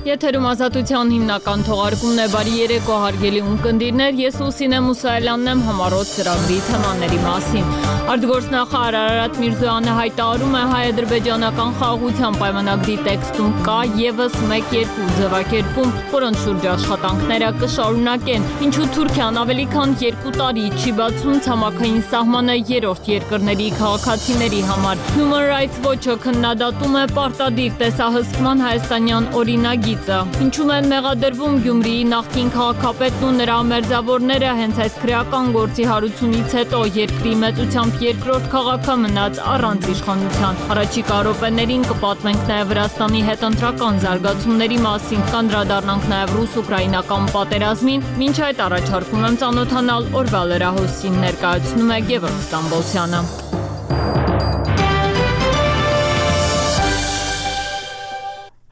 Եթերում ազատության հիմնական թողարկումն է, բարի երեկո հարգելի ունկնդիրներ, ես Լուսինե Մուսայելյանն եմ, համառոտ ծրագրի թեմաների մասին։ Արտգործնախարար Արարատ Միրզոյանը հայտարարում է հայ-ադրբեջանական խաղաղության պայմանագրի տեքստում կա ևս 1-2 ձևակերպում, որոնց շուրջ աշխատանքները կշարունակեն, ինչու Թուրքիան ավելի քան 2 տարի չի բացում ցամաքային սահմանը երրորդ երկրների քաղաքացիների համար։ Human Rights Watch-ը քննադատում է պարտադիր տեսահսկման հայաստանյան օրինագիծը, ինչում են մեղադրվում Գյումրիի նախկին քաղաքապետն ու նրա մերձավորները հենց այս քրեական գործի հարությունից հետո երկրի մեծությամբ երկրորդ քաղաքը մնաց առանց իշխանության։ Առաջիկա րոպեներին կպատմենք նաև Վրաստանի հետ ընտրական զարգացումների մասին, կանդրադառնանք նաև ռուս-ուկրաինական պատերազմին, մինչ այդ առաջարկում եմ ծանոթանալ օրվա լրահոսին, ներկայացնում է Գևորգ Ստամբոլցյանը։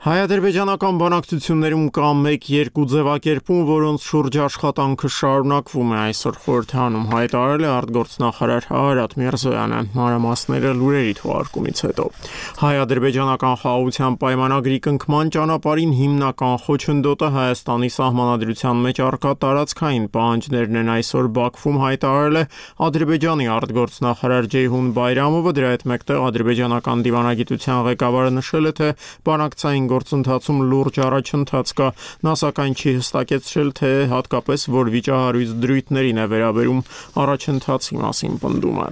Հայ-ադրբեջանական բանակցություններում կա 1-2 ձևակերպում, որոնց շուրջ աշխատանքը շարունակվում է, այսօր խորհրդանում հայտարարել է արտգործնախարար Արարատ Միրզոյանը, մանրամասները լուրերի թողարկումից հետո։ Հայ-ադրբեջանական խաղաղության պայմանագրի կնքման ճանապարհին հիմնական խոչընդոտը Հայաստանի սահմանադրության մեջ առկա տարածքային պահանջներն են, այսօր Բաքվում հայտարարել է Ադրբեջանի արտգործնախարար Ջեյհուն Բայրամովը, դրա հետ մեկտեղ ադրբեջանական դիվանագիտության ղեկավարը նշել է, թե բանակցային գործընթացում լուրջ առաջընթաց կա, նա սակայն չի հստակեցրել, թե հատկապես որ վիճահարույց դրույթներին է վերաբերում առաջընթացի մասին պնդումը։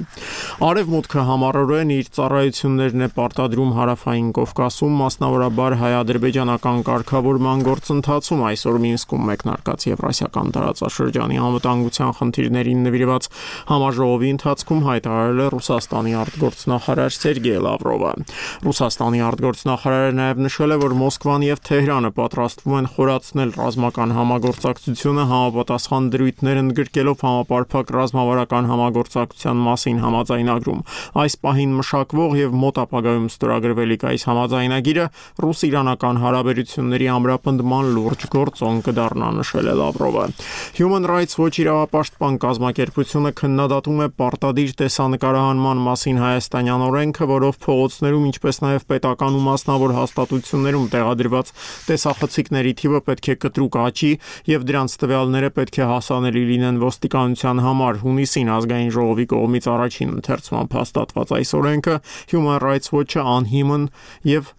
Արևմուտքը համառորեն իր ծառայություններն է պարտադրում Հարավային Կովկասում, մասնավորաբար հայ-ադրբեջանական կարգավորման գործընթացում, այսօր Մինսկում մեկնարկած Եվրասիական տարածաշրջանի անվտանգության խնդիրներին նվիրված համաժողովի ընթացքում հայտարարել է Ռուսաստանի արտգործնախարար Սերգեյ Լավրովը։ Ռուսաստանի արտգործնախարարը նաև նշել է, որ Մոսկվան եւ Թեհրանը պատրաստվում են խորացնել ռազմական համագործակցությունը, համապատասխան դրույթներ ընդգրկելով համապարփակ ռազմավարական համագործակցության մասին համաձայնագրում։ Այս պահին մշակվող եւ մոտ ապագայում ստորագրվելիք այս համաձայնագիրը ռուս-իրանական հարաբերությունների ամրապնդման լուրջ գործոն կդառնա, նշել է Լավրովը։ Human Rights Watch իրավապաշտպան կազմակերպությունը քննադատում է պարտադիր տեսանկարահանման մասին հայաստանյան օրենքը, որով փողոցներում, ինչպես նաեւ պետական ու մասնավոր հաստատություններում տեղադրված տեսախցիկների թիվը պետք է կտրուկ աճի եւ դրանց տվյալները պետք է հասանելի լինեն ոստիկանության համար։ Հունիսին ազգային ժողովի կողմից առաջին ընթերցմամբ հաստատված այս օրենքը Human Rights Watch-ը անհիմն եւ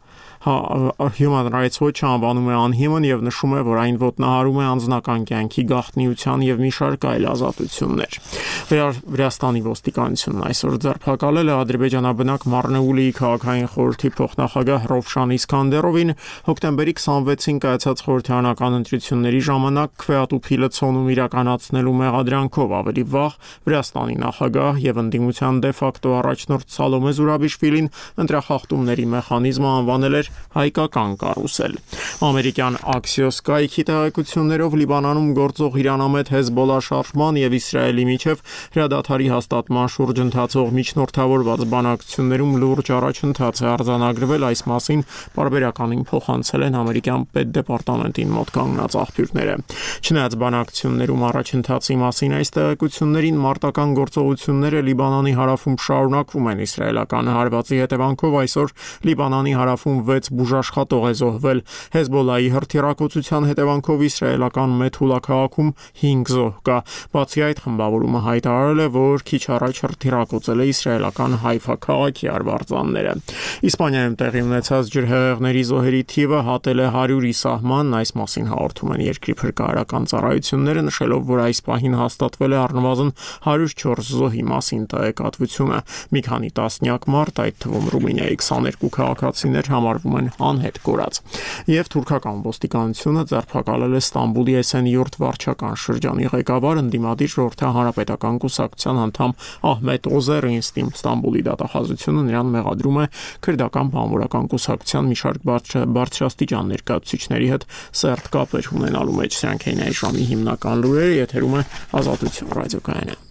Human Rights Watch-ը անվանում է անհիմն եւ նշում է, որ այն ոտնահարում է անձնական կյանքի գաղտնիության եւ մի շարք այլ ազատություններ։ Վրաստանի ոստիկանությունն այսօր ձերբակալել է ադրբեջանաբնակ Մարնեուլիի քաղաքային խորհրդի փոխնախագահ Ռովշան Իսկանդերովին հոկտեմբերի 26-ին կայացած խորհրդարանական ընտրությունների ժամանակ քվեատուփի լցոնում իրականացնելու մեղադրանքով։ Ավելի վաղ Վրաստանի նախագահ եւ ընդդիմության դե ֆակտո առաջնորդ Սալոմե Զուրաբիշվիլին ընտրախախտումների մեխանիզմը անվանել էր հայկական կարուսել։ Ամերիկյան Axios կայքի տեղեկություններով Լիբանանում գործող իրանամետ Հեզբոլա շարժման եւ Իսրայելի միջև հրադադարի հաստատման շուրջ ընթացող միջնորդավորված բանակցություններում լուրջ առաջընթաց է արձանագրվել, այս մասին պարբերականին փոխանցել են ամերիկյան պետդեպարտամենտին մոտ կանգնած աղբյուրները։ Չնայած բանակցություններում առաջընթացի մասին այս տեղեկություններին, մարտական գործողությունները Լիբանանի հարավում շարունակվում են։ Իսրայելական հարվածի հետևանքով այսօր Լիբանանի հարավում 6 բուժաշխատող է զոհվել։ Հեզբոլայի հրթիռակոծության հետևանքով իսրայելական Մեթուլա քաղաքում 5 զոհ կա։ Բացի այդ, խմբավորումը հայտարարել է, որ քիչ առաջ հրթիռակոծել է իսրայելական Հայֆա քաղաքի արվարձանները։ Իսպանիայում տեղի ունեցած ջրհեղեղների զոհերի թիվը հատել է 100-ի սահման, այս մասին հաղորդում են երկրի փրկարարական ծառայությունները, նշելով, որ այս պահին հաստատվել է առնվազն 104 զոհի մասին տեղեկատվությունը։ Մի քանի տասնյակ մարդ, այդ թվում Ռումինիայի 22 քաղաքացիներ համարվում են անհետ կորած։ Եվ թուրքական ոստիկանությունը ձերբակալել է Ստամբուլի Էսենյուրտ վարչական շրջանի ղեկավար, ընդդիմադիր ժողովրդահարապետական կուսակցության անդամ Ահմեդ Օզերին։ Ստամբուլի դատախազությունը նրան մեղադրում է քրդական բանվորական կուսակցության մի շարք բարձրաստիճան ներկայացուցիչների հետ սերտ կապեր ունենալու մեջ։ Սրանք էին այս ժամի հիմնական լուրերը, եթերում է Ազատություն ռադիոկայանը։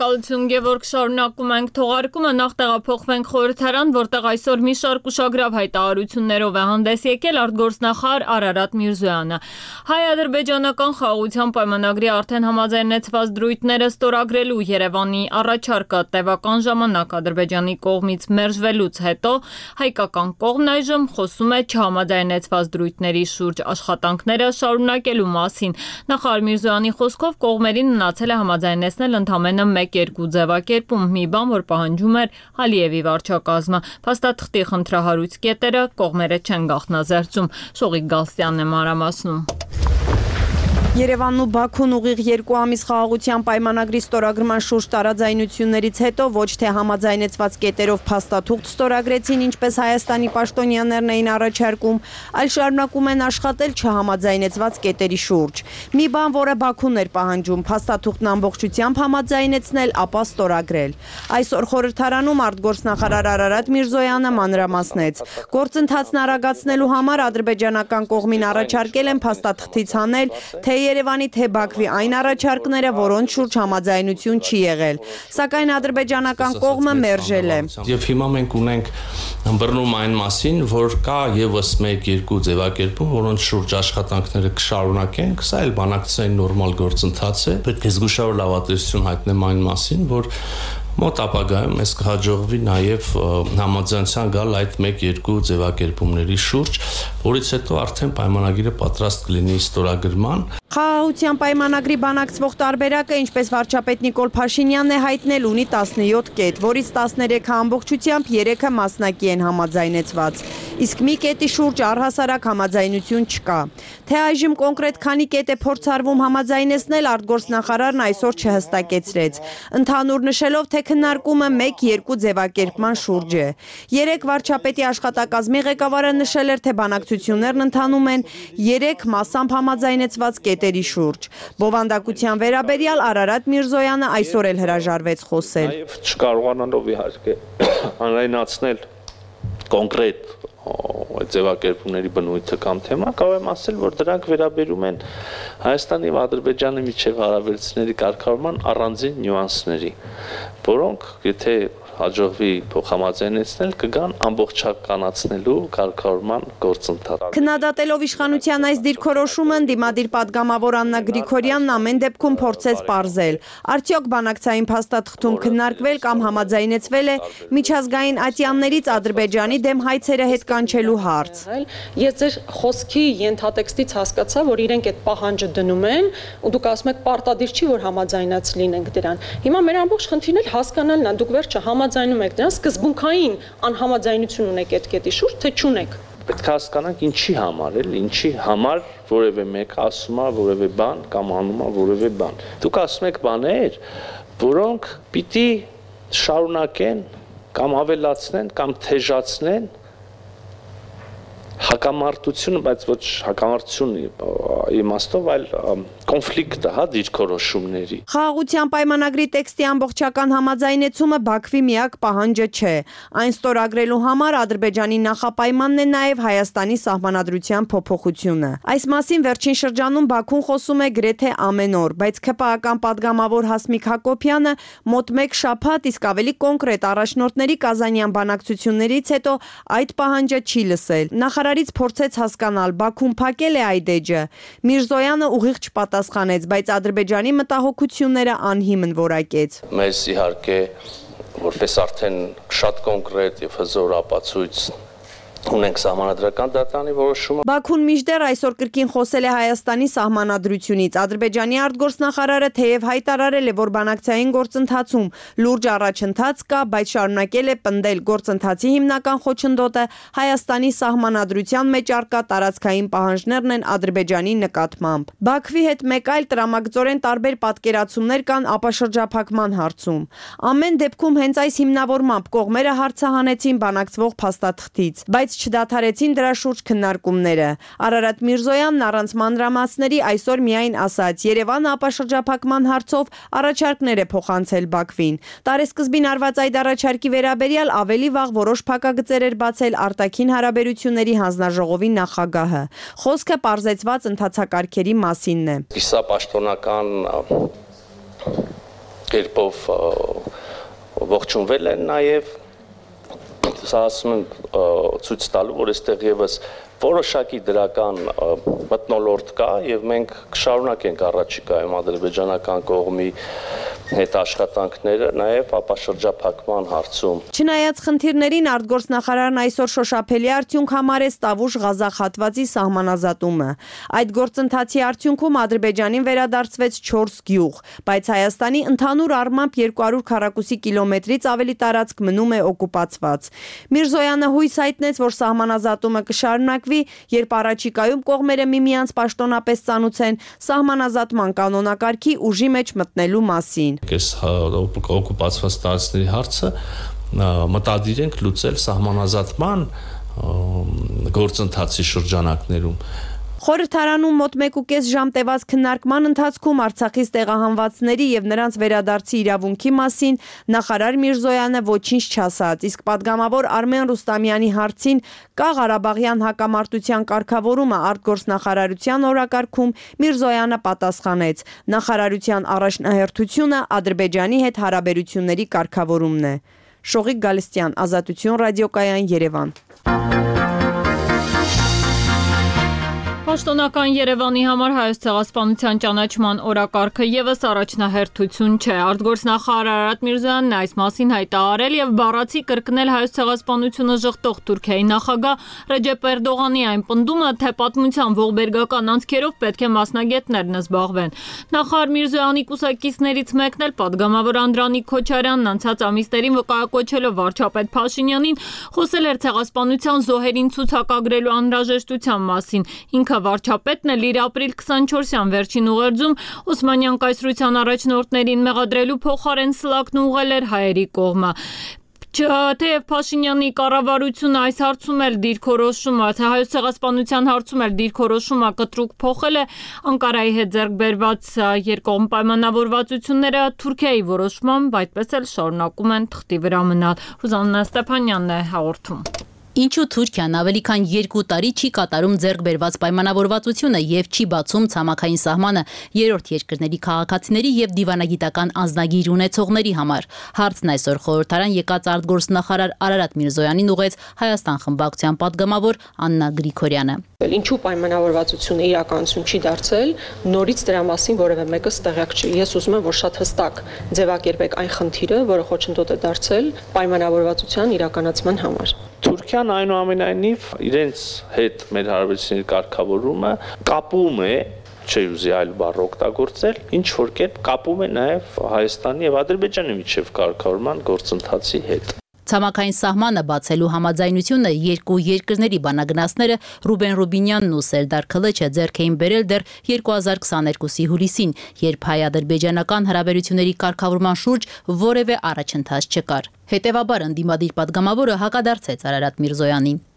Շնորհակալություն Գևորգ, շարունակում ենք թողարկումը, նախ տեղափոխվենք խորհրդարան, որտեղ այսօր մի շարք ուշագրավ հայտարարություններով է հանդես եկել արտգործնախարար Արարատ Միրզոյանը։ Հայ-ադրբեջանական խաղաղության պայմանագրի արդեն համաձայնեցված դրույթները ստորագրելու Երևանի առաջարկը տևական ժամանակ Ադրբեջանի կողմից մերժվելուց հետո հայկական կողմն այժմ խոսում է չհամաձայնեցված դրույթների շուրջ աշխատանքները շարունակելու մասին։ Նախարար Միրզոյանի խոսքով կողմերին մնացել է համաձայնեցնել ընդամենը 1-2 ձևակերպում, մի բան, որ պահանջում էր Ալիևի վարչակազմը։ Փաստաթղթի խնդրահարույց կետերը կողմերը չեն գաղտնազերծում։ Շողիկ Գալստյանն է մանրամասնում։ Երևանն ու Բաքուն ուղիղ 2 ամիս խաղաղության պայմանագրի ստորագրման շուրջ տարաձայնություններից հետո ոչ թե համաձայնեցված կետերով փաստաթուղթ ստորագրեցին, ինչպես Հայաստանի պաշտոնյաներն էին առաջարկում, այլ շարունակում են աշխատել չհամաձայնեցված կետերի շուրջ։ Մի բան, որը Բաքուն էր պահանջում, փաստաթուղթն ամբողջությամբ համաձայնեցնել, ապա ստորագրել։ Այսօր խորհրդարանում արտգործնախարար Արարատ Միրզոյանը մանրամասնեց. գործընթացն արագացնելու համար ադրբեջանական կողմին առաջարկել են փաստաթղթից հանել թե Երևանի թե Բաքվի այն առաջարկները, որոնց շուրջ համաձայնություն չի եղել, սակայն ադրբեջանական կողմը մերժել է։ Եվ հիմա մենք ունենք բռնում այն մասին, որ կա եւս 1-2 ձևակերպում, որոնց շուրջ աշխատանքները կշարունակենք, սա էլ բանակցային նորմալ գործընթաց է։ Պետք է զգուշավոր լավատեսություն հայտնեմ այն մասին, որ մոտ ապագայում մեզ կհաջողվի նաև համաձայնության գալ այդ 1-2 ձևակերպումների շուրջ, որից հետո արդեն պայմանագիրը պատրաստ կլինի ստորագրման։ Խաղաղության պայմանագրի բանակցվող տարբերակը, ինչպես վարչապետ Նիկոլ Փաշինյանն է հայտնել, ունի 17 կետ, որից 13-ը ամբողջությամբ, 3-ը մասնակի են համաձայնեցված։ Իսկ մի կետի շուրջ առհասարակ համաձայնություն չկա։ Թե այժմ կոնկրետ քանի կետ է փորձարվում համաձայնեցնել, արտգործնախարարն այսօր չհստակեցրեց, ընդհանուր նշելով, թե քննարկումը 1-2 ձևակերպման շուրջ է։ 3 վարչապետի աշխատակազմի ղեկավարը նշել էր, թե բանակցություններն ընթանում են 3 մասամբ համաձայնեցված կետերի շուրջ։ Բովանդակության վերաբերյալ Արարատ Միրզոյանը այսօր էլ հրաժարվեց խոսել։ Նաև չկարողանալով իհարկե հանրայնացնել կոնկրետ ձևակերպումների բնույթը կամ թեման, կարող եմ ասել, որ դրանք վերաբերում են Հայաստանի և Ադրբեջանի միջև հարաբերությունների կարգավորման առանձին նյուանսների, որոնք եթե հաջողվի փոխհամաձայնեցնել, կգան ամբողջականացնելու կարգավորման գործընթաց։ Քննադատելով իշխանության այս դիրքորոշումը, ընդդիմադիր պատգամավոր Աննա Գրիգորյանն ամեն դեպքում փորձեց պարզել, արդյոք բանակցային փաստաթղթում քննարկվել կամ համաձայնեցվել է միջազգային ատյաններից Ադրբեջանի դեմ հայցերը հետ կանչելու հարց։ Ես ձեր խոսքի ենթատեքստից հասկացա, որ իրենք այդ պահանջը դնում են, ու դուք ասում եք պարտադիր չի, որ համաձայնած լինենք դրան։ Հիմա մեր ամբողջ խնդիրն էլ հասկանալն է, դուք վերջը համաձայնում եք դրան, սկզբունքային անհամաձայնություն ունեք այդ կետի շուրջ, թե չունեք։ Պետք է հասկանանք ինչի համար էլ, ինչի համար որևէ մեկը ասում է որևէ բան կամ անում է որևէ բան։ Դուք ասում եք բաներ, որոնք պիտի շարունակեն կամ ավելացնեն կամ թեժացնեն հակամարտությունը, բայց ոչ հակամարտություն իմաստով, այլ կոնֆլիկտը, դիրքորոշումների։ Խաղաղության պայմանագրի տեքստի ամբողջական համաձայնեցումը Բաքվի միակ պահանջը չէ։ Այն ստորագրելու համար Ադրբեջանի նախապայմանն է նաև Հայաստանի սահմանադրության փոփոխությունը։ Այս մասին վերջին շրջանում Բաքուն խոսում է գրեթե ամեն օր, բայց ՔՊԱ-ական պատգամավոր Հասմիկ Հակոբյանը մոտ 1 շաբաթ, իսկ ավելի կոնկրետ առաջնորդների կազանյան բանակցություններից հետո այդ պահանջը չի լսել։ Նախարարից փորձեց հասկանալ, Բաքուն փակել է այդ էջը։ Միրզոյանը ուղիղ չպատասխանեց, բայց Ադրբեջանի մտահոգությունները անհիմն որակեց։ Մեզ իհարկե որպես արդեն շատ կոնկրետ եւ հզոր ապացույց ունենք սահմանադրական դատարանի որոշումը։ Բաքուն մինչդեռ այսօր կրկին խոսել է Հայաստանի սահմանադրությունից։ Ադրբեջանի արտգործնախարարը թեև հայտարարել է, որ բանակցային գործընթացում լուրջ առաջընթաց կա, բայց շարունակել է պնդել գործընթացի հիմնական խոչընդոտը Հայաստանի սահմանադրության մեջ առկա տարածքային պահանջներն են Ադրբեջանի նկատմամբ։ Բաքվի հետ մեկ այլ տրամագծորեն տարբեր պատկերացումներ կան ապաշրջափակման հարցում։ Ամեն դեպքում հենց այս հիմնավորմամբ կողմերը հարցահանեցին բանակցվող փաստաթղթից, բայց չդադարեցին դրա շուրջ քննարկումները։ Արարատ Միրզոյանն առանց մանրամասների այսօր միայն ասաց. Երևանը ապաշրջափակման հարցով առաջարկներ է փոխանցել Բաքվին։ Տարեսկզբին արված այդ առաջարկի վերաբերյալ ավելի վաղ որոշ փակագծեր էր բացել արտաքին հարաբերությունների հանձնաժողովի նախագահը։ Խոսքը պարզեցված ընթացակարգերի մասինն է։ Սա պաշտոնական կերպով ողջունվել են նաև սա ասում եմ ցույց տալու, որ այստեղ եւս որոշակի դրական մթնոլորտ կա եւ մենք կշարունակենք առաջիկայում ադրբեջանական կողմի հետ աշխատանքները նաև ապաշրջափակման հարցում։ Չնայած խնդիրներին արտգործնախարարն այսօր շոշափելի արդյունք համարեց Տավուշ-Ղազախ հատվածի սահմանազատումը։ Այդ գործընթացի արդյունքում Ադրբեջանին վերադարձվեց 4 գյուղ, բայց Հայաստանի ընդհանուր առմամբ 200 քառակուսի կիլոմետրից ավելի տարածք մնում է օկուպացված։ Միրզոյանը հույս հայտնեց, որ սահմանազատումը կշարունակվի, երբ առաջիկայում կողմերը միմյանց պաշտոնապես ծանուցեն սահմանազատման կանոնակարգի ուժի մեջ մտնելու մասին։ Այս օկուպացված տարածքների հարցը մտադիր ենք լուծել սահմանազատման գործընթացի շրջանակներում։ Խորհրդարանում մոտ 1.5 ժամ տևած քննարկման ընթացքում Արցախից տեղահանվածների եւ նրանց վերադարձի իրավունքի մասին նախարար Միրզոյանը ոչինչ չասաց, իսկ падգամավոր Արմեն Ռուստամյանի հարցին կա Ղարաբաղյան հակամարտության կարգավորումը արտգործնախարարության օրակարգում, Միրզոյանը պատասխանեց. նախարարության առաջնահերթությունը Ադրբեջանի հետ հարաբերությունների կարգավորումն է։ Շողիկ Գալստյան, Ազատություն ռադիոկայան, Երևան։ Պաշտոնական Երևանի համար Հայոց ցեղասպանության ճանաչման օրակարգը եւս առաջնահերթություն չէ։ Արտգործնախարար Արարատ Միրզոյանն այս մասին հայտարարել եւ բառացի կրկնել Հայոց ցեղասպանությունը ժխտող Թուրքիայի նախագահ Ռեջեփ Էրդողանի այն պնդումը, թե պատմության ողբերգական անցքերով պետք է մասնագետներն զբաղվեն։ Նախարար Միրզոյանի կուսակիցներից մեկն էլ падգամավոր Անդրանիկ Քոչարյանն անցած ամիսներին վկայակոչելով վարչապետ Փաշինյանին խոսել էր ցեղասպանության զոհերին ցուցակագրելու անհրաժեշտության մասին։ Ինքը վարչապետն էլ իր ապրիլ 24-յան վերջին ուղերձում Օսմանյան կայսրության առաջնորդներին մեղադրելու փոխարեն սլակն ուղղել էր հայերի կողմը։ Թեև Փաշինյանի կառավարությունը այս հարցում էլ դիրքորոշումը, թե Հայոց ցեղասպանության հարցում էլ դիրքորոշումը կտրուկ փոխել է, Անկարայի հետ ձեռք բերված երկկողմ պայմանավորվածությունները Թուրքիայի որոշմամբ այդպես էլ շարունակում են թղթի վրա մնալ։ Ռուզաննա Ստեփանյանն է հաղորդում։ Ինչու Թուրքիան ավելի քան 2 տարի չի կատարում ձեռք բերված պայմանավորվածությունը եւ չի բացում ցամաքային սահմանը երրորդ երկրների քաղաքացիների եւ դիվանագիտական անձնագիր ունեցողների համար։ Հարցն այսօր խորհրդարան եկած արտգործնախարար Արարատ Միրզոյանին ուղղեց Հայաստան խմբակցության падգամավոր Աննա Գրիգորյանը։ Ինչու պայմանավորվածությունը իրականություն չի դարձել, նորից դրա մասին որևէ մեկը տեղյակ չի։ Ես ուզում եմ, որ շատ հստակ ձևակերպեք այն խնդիրը, որը խոչընդոտ է դարձել պայմանավորվածության իրականացման համար։ Թուրքիան այնուամենայնիվ իրենց հետ մեր հարաբերությունների կարգավորումը կապում է, չի ուզի այլ բառ օգտագործել, ինչ որ կերպ կապում է նաև Հայաստանի եւ Ադրբեջանի միջև կարգավորման գործընթացի հետ։ Ցամաքային սահմանը բացելու համաձայնությունը երկու երկրների բանագնացները Ռուբեն Ռուբինյանն ու Սերդար Քլեչը ձեռք էին բերել դեռ 2022-ի հուլիսին, երբ հայ-ադրբեջանական հարաբերությունների կարգավորման շուրջ որևէ առաջընթաց չկար։ Հետևաբար ընդդիմադիր падգամավորը հակադարձեց Արարատ Միրզոյանին։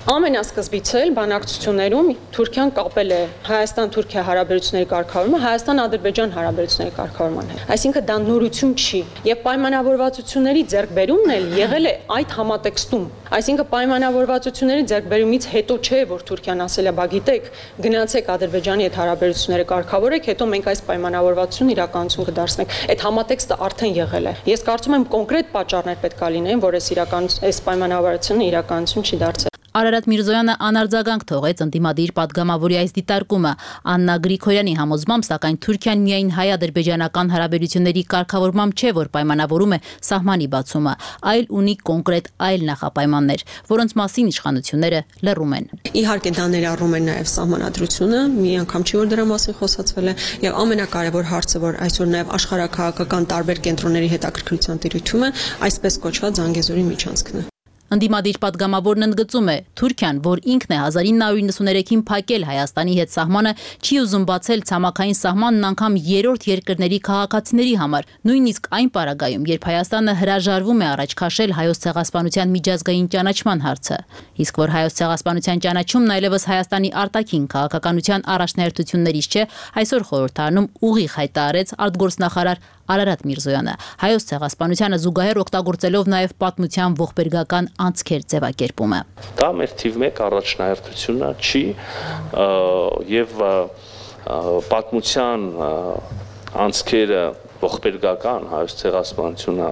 Ամենասկզբից էլ բանակցություններում Թուրքիան կապել է Հայաստան-Թուրքիա հարաբերությունների կարգավորումը Հայաստան-Ադրբեջան հարաբերությունների կարգավորման հետ։ Այսինքն դա նորություն չի, եւ պայմանավորվածությունների ձեռքբերումն էլ եղել է այդ համատեքստում։ Այսինքն պայմանավորվածությունների ձեռքբերումից հետո չէ, որ Թուրքիան ասել է, բա գիտեք, գնացեք Ադրբեջանի հետ հարաբերությունները կարգավորեք, հետո մենք այս պայմանավորվածությունը իրականություն կդարձնենք։ Այդ համատեքստը արդեն եղել է։ Ես կարծում եմ կոնկրետ պատճառներ պետք է լինեն, որ այս պայմանավորվածությունը իրականություն չի դարձել։ Արարատ Միրզոյանը անարձագանք թողեց ընդդիմադիր падգամավորի այս դիտարկումը։ Աննա Գրիգորյանի համոզմամբ, սակայն Թուրքիան միայն հայ-ադրբեջանական հարաբերությունների կարգավորմամբ չէ, որ պայմանավորում է սահմանի բացումը, այլ ունի կոնկրետ այլ նախապայմաններ, որոնց մասին իշխանությունները լռում են։ Իհարկե դա ներառում է նաև սահմանադրությունը, մի անգամ չի որ դրա մասին խոսացվել է, եւ ամենակարևոր հարցը, որ այսօր նաև աշխարհակահաղական տարբեր կենտրոնների հետաքրքրության տիրույթում է, այսպես կոչված Զանգեզուրի միջանցքն է։ Ընդդիմադիր падգամավորն ընդգծում է, Թուրքիան, որ ինքն է 1993-ին փակել Հայաստանի հետ սահմանը, չի ուզում բացել ցամաքային սահմանն անգամ երրորդ երկրների քաղաքացիների համար, նույնիսկ այն պարագայում, երբ Հայաստանը հրաժարվում է առաջ քաշել հայոց ցեղասպանության միջազգային ճանաչման հարցը։ Իսկ որ հայոց ցեղասպանության ճանաչումն այլևս Հայաստանի արտաքին քաղաքականության առաջնահերթություններից չէ, այսօր խորհրդարանում ուղիղ հայտարարեց արտգործնախարար Արարատ Միրզոյանը, հայոց ցեղասպանությանը զուգահեռ օգտագործելով նաև պատմության ողբերգական անցքեր ձևակերպումը։ Դա մեր թիվ 1 առաջնահերթությունը չի եւ պատմության անցքերը ողբերգական հայոց ցեղասպանությունը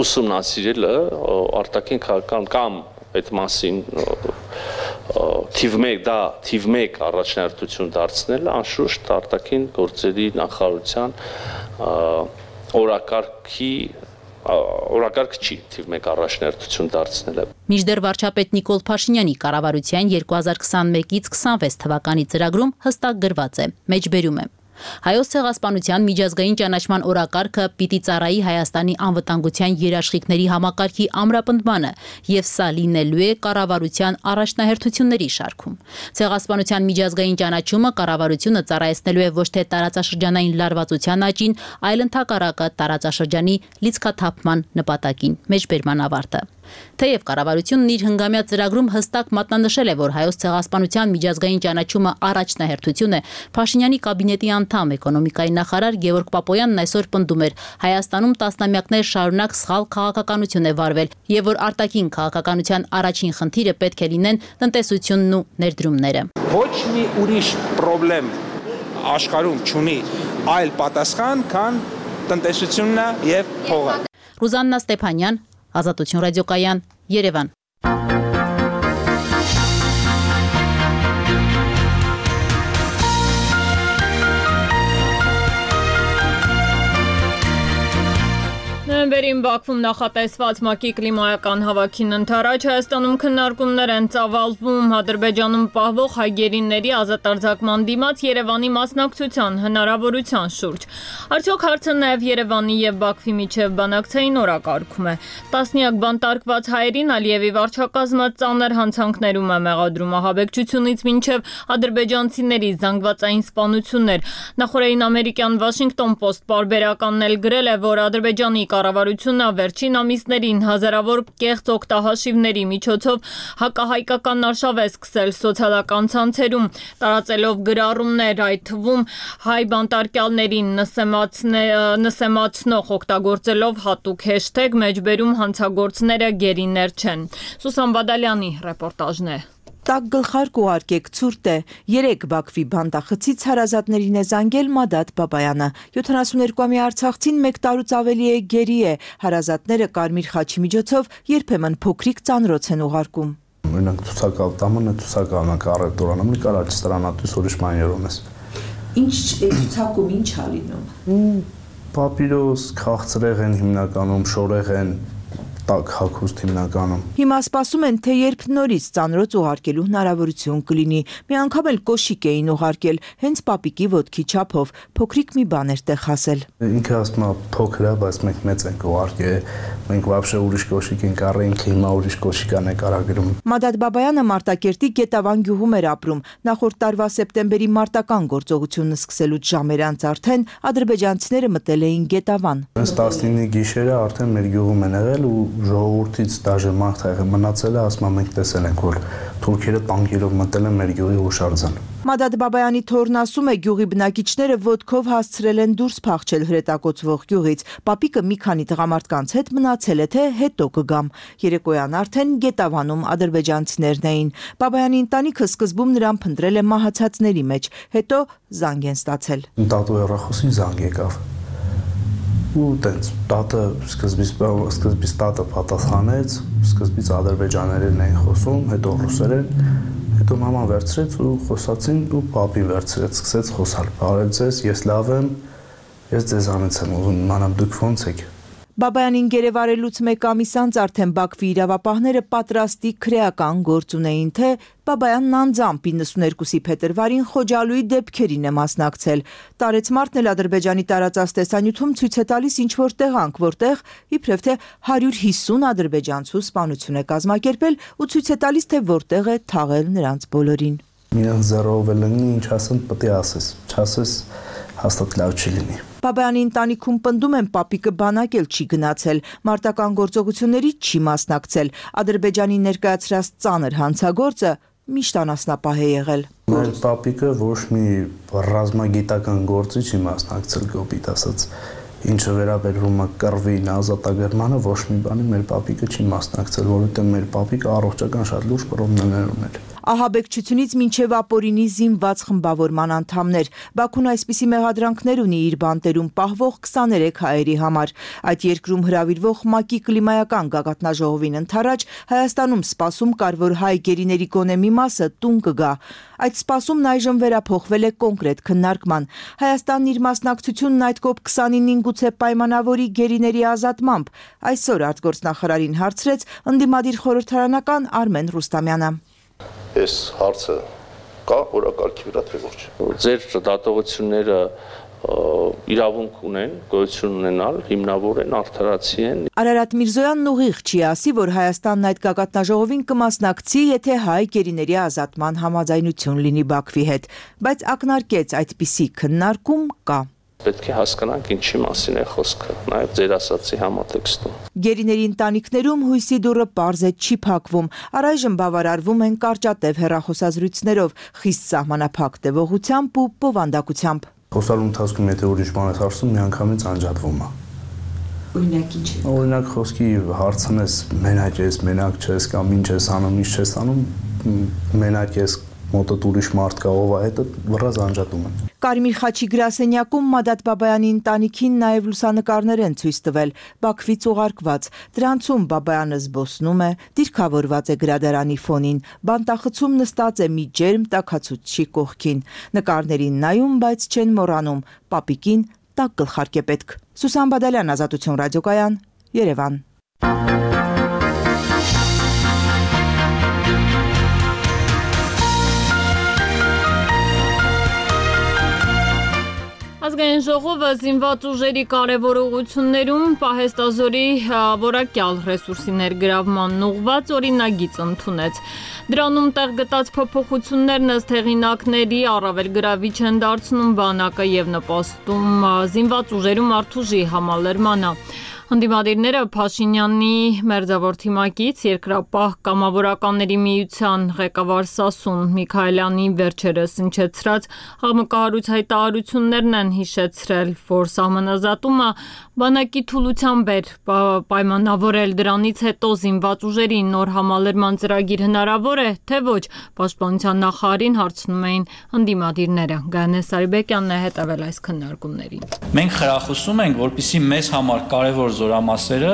ուսումնասիրելը արտաքին քաղաքական կամ այդ մասին թիվ 1 առաջնահերթություն դարձնելը անշուշտ արտաքին գործերի նախարարության օրակարգ չի թիվ 1 առաջնահերթություն դարձնելը։ Մինչդեռ վարչապետ Նիկոլ Փաշինյանի կառավարության 2021-ից 26 թվականի ծրագրում հստակ գրված է. մեջբերում է. Հայոց ցեղասպանության միջազգային ճանաչման օրակարգը պիտի ծառայի Հայաստանի անվտանգության երաշխիքների համակարգի ամրապնդմանը եւ սա լինելու է կառավարության առաջնահերթությունների շարքում։ Ցեղասպանության միջազգային ճանաչումը կառավարությունը ծառայեցնելու է ոչ թե տարածաշրջանային լարվածության աճին, այլ ընդհակառակը տարածաշրջանի լիցքաթափման նպատակին։ Մեջբերման ավարտը։ Թեև կառավարությունն իր հնգամյա ծրագրում հստակ մատնանշել է, որ հայոց ցեղասպանության միջազգային ճանաչումը առաջնահերթություն է, Փաշինյանի կաբինետի անդամ էկոնոմիկայի նախարար Գևորգ Պապոյանն այսօր պնդում էր, Հայաստանում տասնամյակներ շարունակ սխալ քաղաքականություն է վարվել եւ որ արտաքին քաղաքականության առաջին խնդիրը պետք է լինեն տնտեսությունն ու ներդրումները։ Ոչ մի ուրիշ խնդրեմ աշխարհում չունի այլ պատասխան, քան տնտեսությունն եւ փողը։ Ռուզաննա Ստեփանյան, Ազատություն ռադիոկայան, Երևան։ Նոյեմբերին Բաքվում նախատեսված ՄԱԿ-ի կլիմայական հավաքին ընթരാճ Հայաստանում քննարկումներ են ծավալվում Ադրբեջանում պահվող հայ գերիների ազատարձակման դիմաց Երևանի մասնակցության հնարավորության շուրջ։ Արդյոք հարցը նաև Երևանի եւ Բաքվի միջև բանակցային օրակարգում է։ Տասնյակ բանտարկված հայերին Ալիևի վարչակազմը ծանր հանցանքներում է մեղադրում ահաբեկչությունից մինչև ադրբեջանցիների զանգվածային սպանություններ։ Նախորդին ամերիկյան Washington Post պարբերականն էլ գրել է, որ Ադրբեջանի կառավարությունը վերջին ամիսներին հազարավոր կեղծ օգտահաշիվների միջոցով հակահայկական արշավ է սկսել սոցիալական ցանցերում, տարածելով գրառումներ, այդ թվում հայ բանտարկյալներին նսեմացնող օգտագործելով հատուկ հեշթեգ մեջբերում հանցագործները գերիներ չեն։ Սուսան Բադալյանի ռեպորտաժն է։ Տակ գլխարկ ուղարկեք ցուրտ է։ 3 Բաքվի բանտախցից հարազատներին է զանգել Մադադ Բաբայանը։ 72-ամյա արցախցին 1 տարուց ավելի է գերի է։ Հարազատները կարմիր խաչի միջոցով երբեմն փոքրիկ ծանրոց են ուղարկում։ Օրինակ ցուցակալ տամանը ցուցակալն կարել դորանամ նկարաչ ստրանատուս ուրիշ մաներում ես։ Ինչ ցուցակում ինչ ա լինում։ Պապիրոս, քաղցրեղեն հիմնականում, շորեղեն տակ հագուստ հիմնականում։ Հիմա սպասում են, թե երբ նորից ծանրոց ուղարկելու հնարավորություն կլինի։ Մի անգամ էլ կոշիկ էին ուղարկել, հենց պապիկի ոտքի չափով, փոքրիկ մի բան էր տեղ հասել։ Ինքը ասում է փոքր է, բայց մենք մեծ ենք ուղարկել, մենք вообще ուրիշ կոշիկ ենք առել, ինքը հիմա ուրիշ կոշիկ է նկարագրում։ Մադադ Բաբայանը Մարտակերտի Գետավան գյուղում էր ապրում։ Նախորդ տարվա սեպտեմբերի մարտական գործողությունը սկսելուց ժամեր անց արդեն ադրբեջանցիները մտել էին Գետավան։ Հենց 19-ի գիշերը արդեն մեր գյուղում են եղել ու ժողովրդից դաժե մարդ եղել մնացել է, ասում մենք տեսել ենք, որ թուրքերը տանկերով մտել են մեր գյուղի հուշարձան։ Մադադ Բաբայանի թորն ասում է, գյուղի բնակիչները ոտքով հասցրել են դուրս փախչել հրետակոծվող գյուղից։ Պապիկը մի քանի տղամարդկանց հետ մնացել է, թե հետո կգամ։ Երեկոյան արդեն Գետավանում ադրբեջանցիներն էին։ Բաբայանի ընտանիքը սկզբում նրան փնտրել է մահացածների մեջ, հետո զանգ են ստացել։ Տատու հեռախոսին զանգ եկավ։ Ու տենց տատը սկզբից տատը պատասխանեց, սկզբից ադրբեջաներեն էին խոսում, հետո ռուսերեն, հետո մաման վերցրեց ու խոսացին ու պապին վերցրեց, սկսեց խոսալ։ Բարև ձեզ, ես լավ եմ, ես ձեզանից եմ ուզում իմանամ դուք ո՞նց եք։ Բաբայանին գերեվարելուց 1 ամիս անց արդեն Բաքվի իրավապահները պատրաստի քրեական գործ ունեին, թե Բաբայանն անձամբ 92-ի փետրվարին Խոջալույի դեպքերին է մասնակցել։ Տարեցմարտն էլ Ադրբեջանի տարածած տեսանյութում ցույց է տալիս ինչ-որ տեղանք, որտեղ իբրև թե 150 ադրբեջանցու սպանություն է կազմակերպել ու ցույց է տալիս, թե որտեղ է թաղել նրանց բոլորին։ Միան զերով լինի, ինչ ասեն, պետք է ասես, չասես հաստատ լավ չի լինի։ Բաբայանի ընտանիքում պնդում են պապիկը բանակ էլ չի գնացել, մարտական գործողությունների չի մասնակցել, Ադրբեջանի ներկայացրած ծանր հանցագործը միշտ անասնապահ է եղել։ Մեր պապիկը ոչ մի ռազմագիտական գործի չի մասնակցել, կոպիտ ասած, ինչը վերաբերվում է կռվին, ազատագրմանը, ոչ մի բանի մեր պապիկը չի մասնակցել, որովհետև մեր պապիկը առողջական շատ լուրջ պրոբլեմներ ուներ։ ահաբեկչությունից մինչև ապօրինի զինված խմբավորման անդամներ։ Բաքուն այսպիսի մեղադրանքներ ունի իր բանտերում պահվող 23 հայերի համար։ Այդ երկրում հրավիրվող ՄԱԿ-ի կլիմայական գագաթնաժողովին ընդառաջ Հայաստանում սպասում կար, որ հայ գերիների գոնե մի մասը տուն կգա։ Այդ սպասումն այժմ վերափոխվել է կոնկրետ քննարկման։ Հայաստանն իր մասնակցությունն այդ COP29-ին գուցե պայմանավորի գերիների ազատմամբ, այսօր արտգործնախարարին հարցրեց ընդդիմադիր խորհրդարանական Արմեն Ռուստամյանը։ Այս հարցը կա օրակարգի վրա թե ոչ։ Ձեր դատողությունները իրավունք ունեն, գոյություն ունենալ, հիմնավոր են, արդարացի են։ Արարատ Միրզոյանն ուղիղ չի ասի, որ Հայաստանն այդ գագաթնաժողովին կմասնակցի, եթե հայ գերիների ազատման համաձայնություն լինի Բաքվի հետ, բայց ակնարկեց այդպիսի քննարկում կա։ Պետք է հասկանանք ինչի մասին է խոսքը, նաև ձեր ասացի համատեքստում։ Գերիների ընտանիքներում հույսի դուռը պարզ է չի փակվում, առայժմ բավարարվում են կարճատև հեռախոսազրույցներով, խիստ սահմանափակ տևողությամբ ու բովանդակությամբ։ Խոսալու ընթացքում եթե ուրիշ բան ես հարցնում, միանգամից անջատվում է։ Օրինակ ինչ է։ Օրինակ խոսքի հարցնես, մենակ ես, մենակ չես կամ ինչ ես անում, ինչ չես անում, մենակ ես, մոտդ ուրիշ մարդ կա, ով է, հետո վռազ անջատում են։ Կարմիր խաչի գրասենյակում Մադատ Բաբայանի ընտանիքին նաև լուսանկարներ են ցույց տվել, Բաքվից ուղարկված։ Դրանցում Բաբայանը զբոսնում է, դիրքավորված է գրադարանի ֆոնին, բանտախցում նստած է մի ջերմ տաքացուցչի կողքին։ Նկարներին նայում, բայց չեն մոռանում, պապիկին տաք գլխարկ է պետք։ Սուսան Բադալյան, Ազատություն ռադիոկայան, Երևան։ Ազգային ժողովը զինված ուժերի կարևորություններում պահեստազորի որակյալ ռեսուրսի ներգրավման ուղղված օրինագիծ ընդունեց։ Դրանում տեղ գտած փոփոխություններն ըստ հեղինակների առավել գրավիչ են դարձնում բանակը եւ նպաստում զինված ուժերում արդուժի համալրմանը։ Ընդդիմադիրները Փաշինյանի մերձավոր թիմակից երկրապահ կամավորականների միության ղեկավար Սասուն Միքայելյանի վերջերս հնչեցրած համակարգ հայտարարություններն են հիշեցրել, որ սահմանազատումը բանակի թուլությամբ էր պայմանավորել, դրանից հետո զինված ուժերի նոր համալրման ծրագիր հնարավոր է, թե ոչ, պաշտպանության նախարարին հարցնում էին ընդդիմադիրները։ Գայանե Սարիբեկյանն է հետևել այս քննարկումներին։ Մենք խրախուսում ենք, որպեսզի մեզ համար կարևոր զորամասերը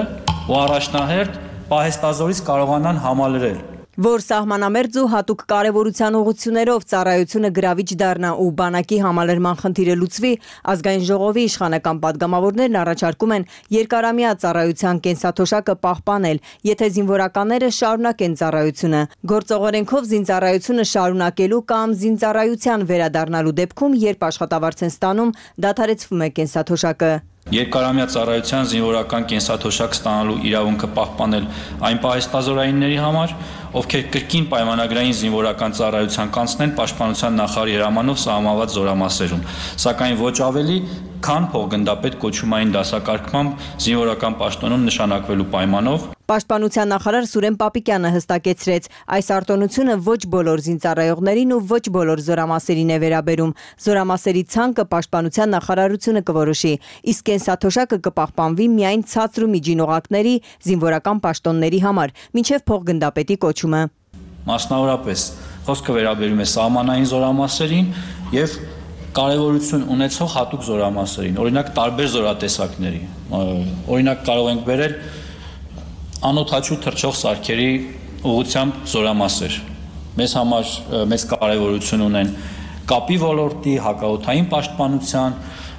ու առաջնահերթ պահեստազորից կարողանան համալրել։ Որ սահմանամերձ ու հատուկ կարևորության ուղղություններով ծառայությունը գրավիչ դառնա ու բանակի համալրման խնդիրը լուծվի, ազգային ժողովի իշխանական падգամավորներն առաջարկում են երկարամյա ծառայության կենսաթոշակը պահպանել, եթե զինվորականները շարունակեն ծառայությունը։ Գործողորենքով զինծառայությունը շարունակելու կամ զինծառայության վերադառնալու դեպքում, երբ աշխատավարձ են ստանում, դադարեցվում է կենսաթոշակը։ Երկարամյա ծառայության զինվորական կենսաթոշակ ստանալու իրավունքը պահպանել այն պահեստազորայինների համար, ովքեր կրկին պայմանագրային զինվորական ծառայության կանցնեն պաշտպանության նախարարի հրամանով սահմանված զորամասերում, սակայն ոչ ավելի, քան փոխգնդապետ կոչումային դասակարգմամբ զինվորական պաշտոնում նշանակվելու պայմանով։ Պաշտպանության նախարար Սուրեն Պապիկյանը հստակեցրեց, այս արտոնությունը ոչ բոլոր զինծառայողներին ու ոչ բոլոր զորամասերին է վերաբերում։ Զորամասերի ցանկը պաշտպանության նախարարությունը կորոշի, իսկ կենսաթոշակը կպահպանվի միայն ցածր ու միջին օղակների զինվորական պաշտոնների համար, մինչև փոխգնդապետի կոչումը։ Մասնավորապես խոսքը վերաբերում է սահմանային զորամասերին եւ կարևորություն ունեցող հատուկ զորամասերին, օրինակ տարբեր զորատեսակների։ Օրինակ կարող ենք վերել անօթաչու թռչող սարքերի ուղղությամբ զորամասեր։ Մեզ համար մեծ կարևորություն ունեն կապի ոլորտի, հակաօդային պաշտպանության,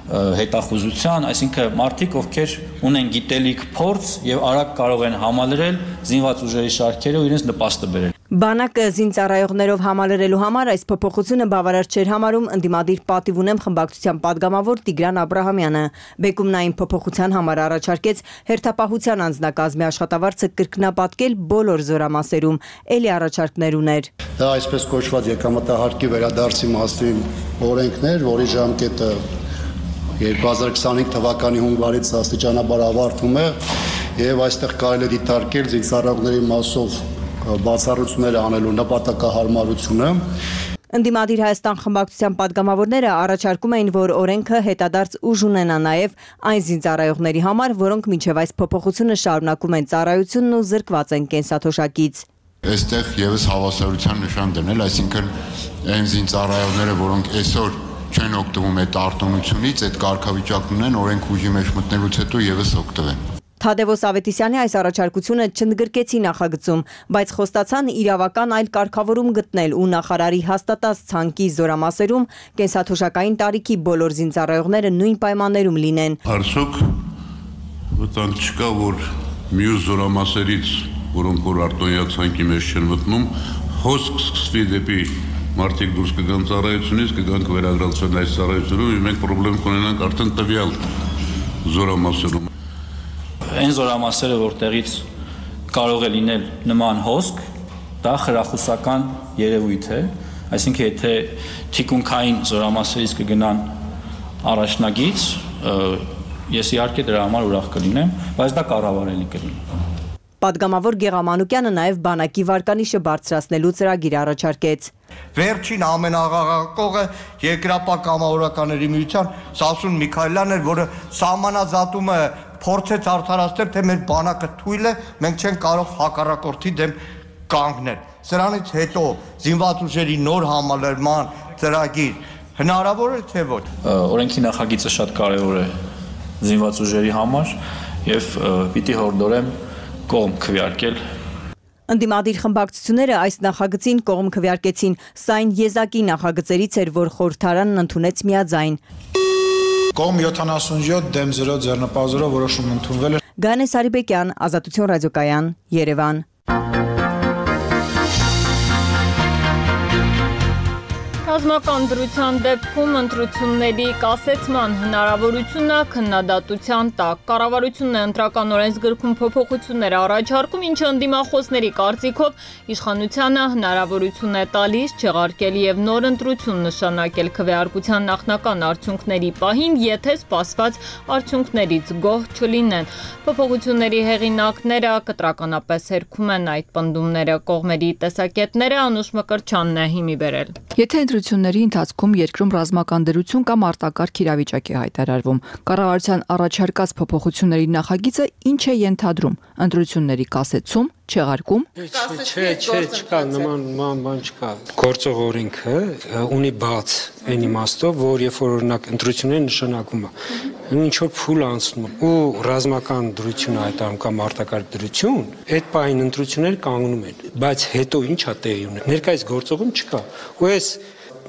հետախուզության, այսինքն մարդիկ, ովքեր ունեն գիտելիք, փորձ եւ արագ կարող են համալրել զինված ուժերի շարքերը ու իրենց նպաստը բերել։ Բանակը զինծառայողներով համալրելու համար այս փոփոխությունը բավարար չէր համարում ընդդիմադիր պատիվ ունեմ խմբակցության падգամավոր Տիգրան Աբրահամյանը։ Բեկումն այն փոփոխության համար առաջարկեց հերթապահության անձնակազմի աշխատավարձը կրկնապատկել բոլոր զորամասերում, ելի առաջարկներ ուներ։ Դա այսպես կոչված եկամտահարկի վերադարձի մասին օրենքներ, որի ժամկետը 2025 թվականի հունվարից աստիճանաբար ավարտվում է եւ այստեղ կարելի է դիտարկել զինծառայողների մասով բացառությունները անելու նպատակահարմարությունը։ Ընդդիմադիր Հայաստան խմբակցության падգամավորները առաջարկում էին, որ օրենքը հետադարձ ուժ ունենա նաև այն զինծառայողների համար, որոնք մինչև այս փոփոխությունը շարունակում են ծառայությունն ու զրկված են կենսաթոշակից։ Այստեղ եւս հավասարության նշան դնել, այսինքն այն զինծառայողները, որոնք այսօր չեն օգտվում այդ արտոնությունից, այդ կարգավիճակն ունեն, օրենք ուժի մեջ մտնելուց հետո եւս օգտվեն։ Թադևոս Ավետիսյանի այս առաջարկությունը չընդգրկեցի նախագծում, բայց խոստացան իրավական այլ կարգավորում գտնել ու նախարարի հաստատած ցանկի զորամասերում կենսաթոշակային տարիքի բոլոր զինծառայողները նույն պայմաններում լինեն։ Արդյոք վտանգ չկա, որ մյուս զորամասերից, որոնք որ արտոնյա ցանկի մեջ չեն մտնում, հոսք սկսվի դեպի մարդիկ դուրս կգան ծառայությունից, կգանք վերագրացվեն այս ծառայությունում, եւ մենք խնդրեմ կունենանք արդեն տվյալ զորամասերում։ Այն զորամասերը, որտեղից կարող է լինել նման հոսք, դա խրախուսական երևույթ է, այսինքն եթե թիկունքային զորամասերից կգնան առաջնագից, ես իհարկե դրա համար ուրախ կլինեմ, բայց դա կառավարելի կլինի։ Պատգամավոր Գեղամանուկյանը նաև բանակի վարկանիշը բարձրացնելու ծրագիր առաջարկեց։ Վերջին ամենաղաղակողը երկրապահ կամավորականների միության Սասուն Միքայելյանն էր, որը սահմանազատումը փորձեց արդարացնել, թե մեր բանակը թույլ է, մենք չենք կարող հակառակորդի դեմ կանգնել։ Սրանից հետո զինված ուժերի նոր համալրման ծրագիր հնարավոր է թե ոչ։ Օրենքի նախագիծը շատ կարևոր է զինված ուժերի համար եւ պիտի հորդորեմ կողմ քվեարկել։ Ընդդիմադիր խմբակցությունները այս նախագծին կողմ քվեարկեցին, սա այն եզակի նախագծերից էր, որ խորհրդարանն ընդունեց միաձայն։ Կողմ 77 դեմ 0 ձեռնպահ որոշում ընդունվել է։ Գանե Սարիբեկյան, Ազատություն ռադիոկայան, Երևան։ Ռազմական դրության դեպքում ընտրությունների կասեցման հնարավորությունը քննադատության տակ։ Կառավարությունն է ընտրական օրենսգրքում փոփոխություններ առաջարկում, ինչը ընդդիմախոսների կարծիքով իշխանությանը հնարավորություն է տալիս չեղարկել եւ նոր ընտրություն նշանակել քվեարկության նախնական արդյունքների պահին, եթե սպասված արդյունքներից գոհ չլինեն։ Փոփոխությունների հեղինակները կտրականապես հերքում են այդ պնդումները, կողմերի տեսակետները Անուշ Մկրտչյանն է հիմի բերել։ Եթե ընտրությունների ընթացքում երկրում ռազմական դրություն կամ արտակարգ իրավիճակ է հայտարարվում, կառավարության առաջարկած փոփոխությունների նախագիծը ինչ է ենթադրում՝ ընտրությունների կասեցում, չեղարկում։ Չկա, նման բան չկա։ Գործող օրենքը ունի բաց այն իմաստով, որ երբ որ օրինակ ընտրությունները նշանակվում է, ինչ որ փուլ անցնում ու ռազմական դրություն հայտարարում կամ արտակարգ դրություն, այդ պահին ընտրությունները կանգնում են, բայց հետո ինչա տեղի ունի։ Ներկայիս գործողում չկա։ Ու այս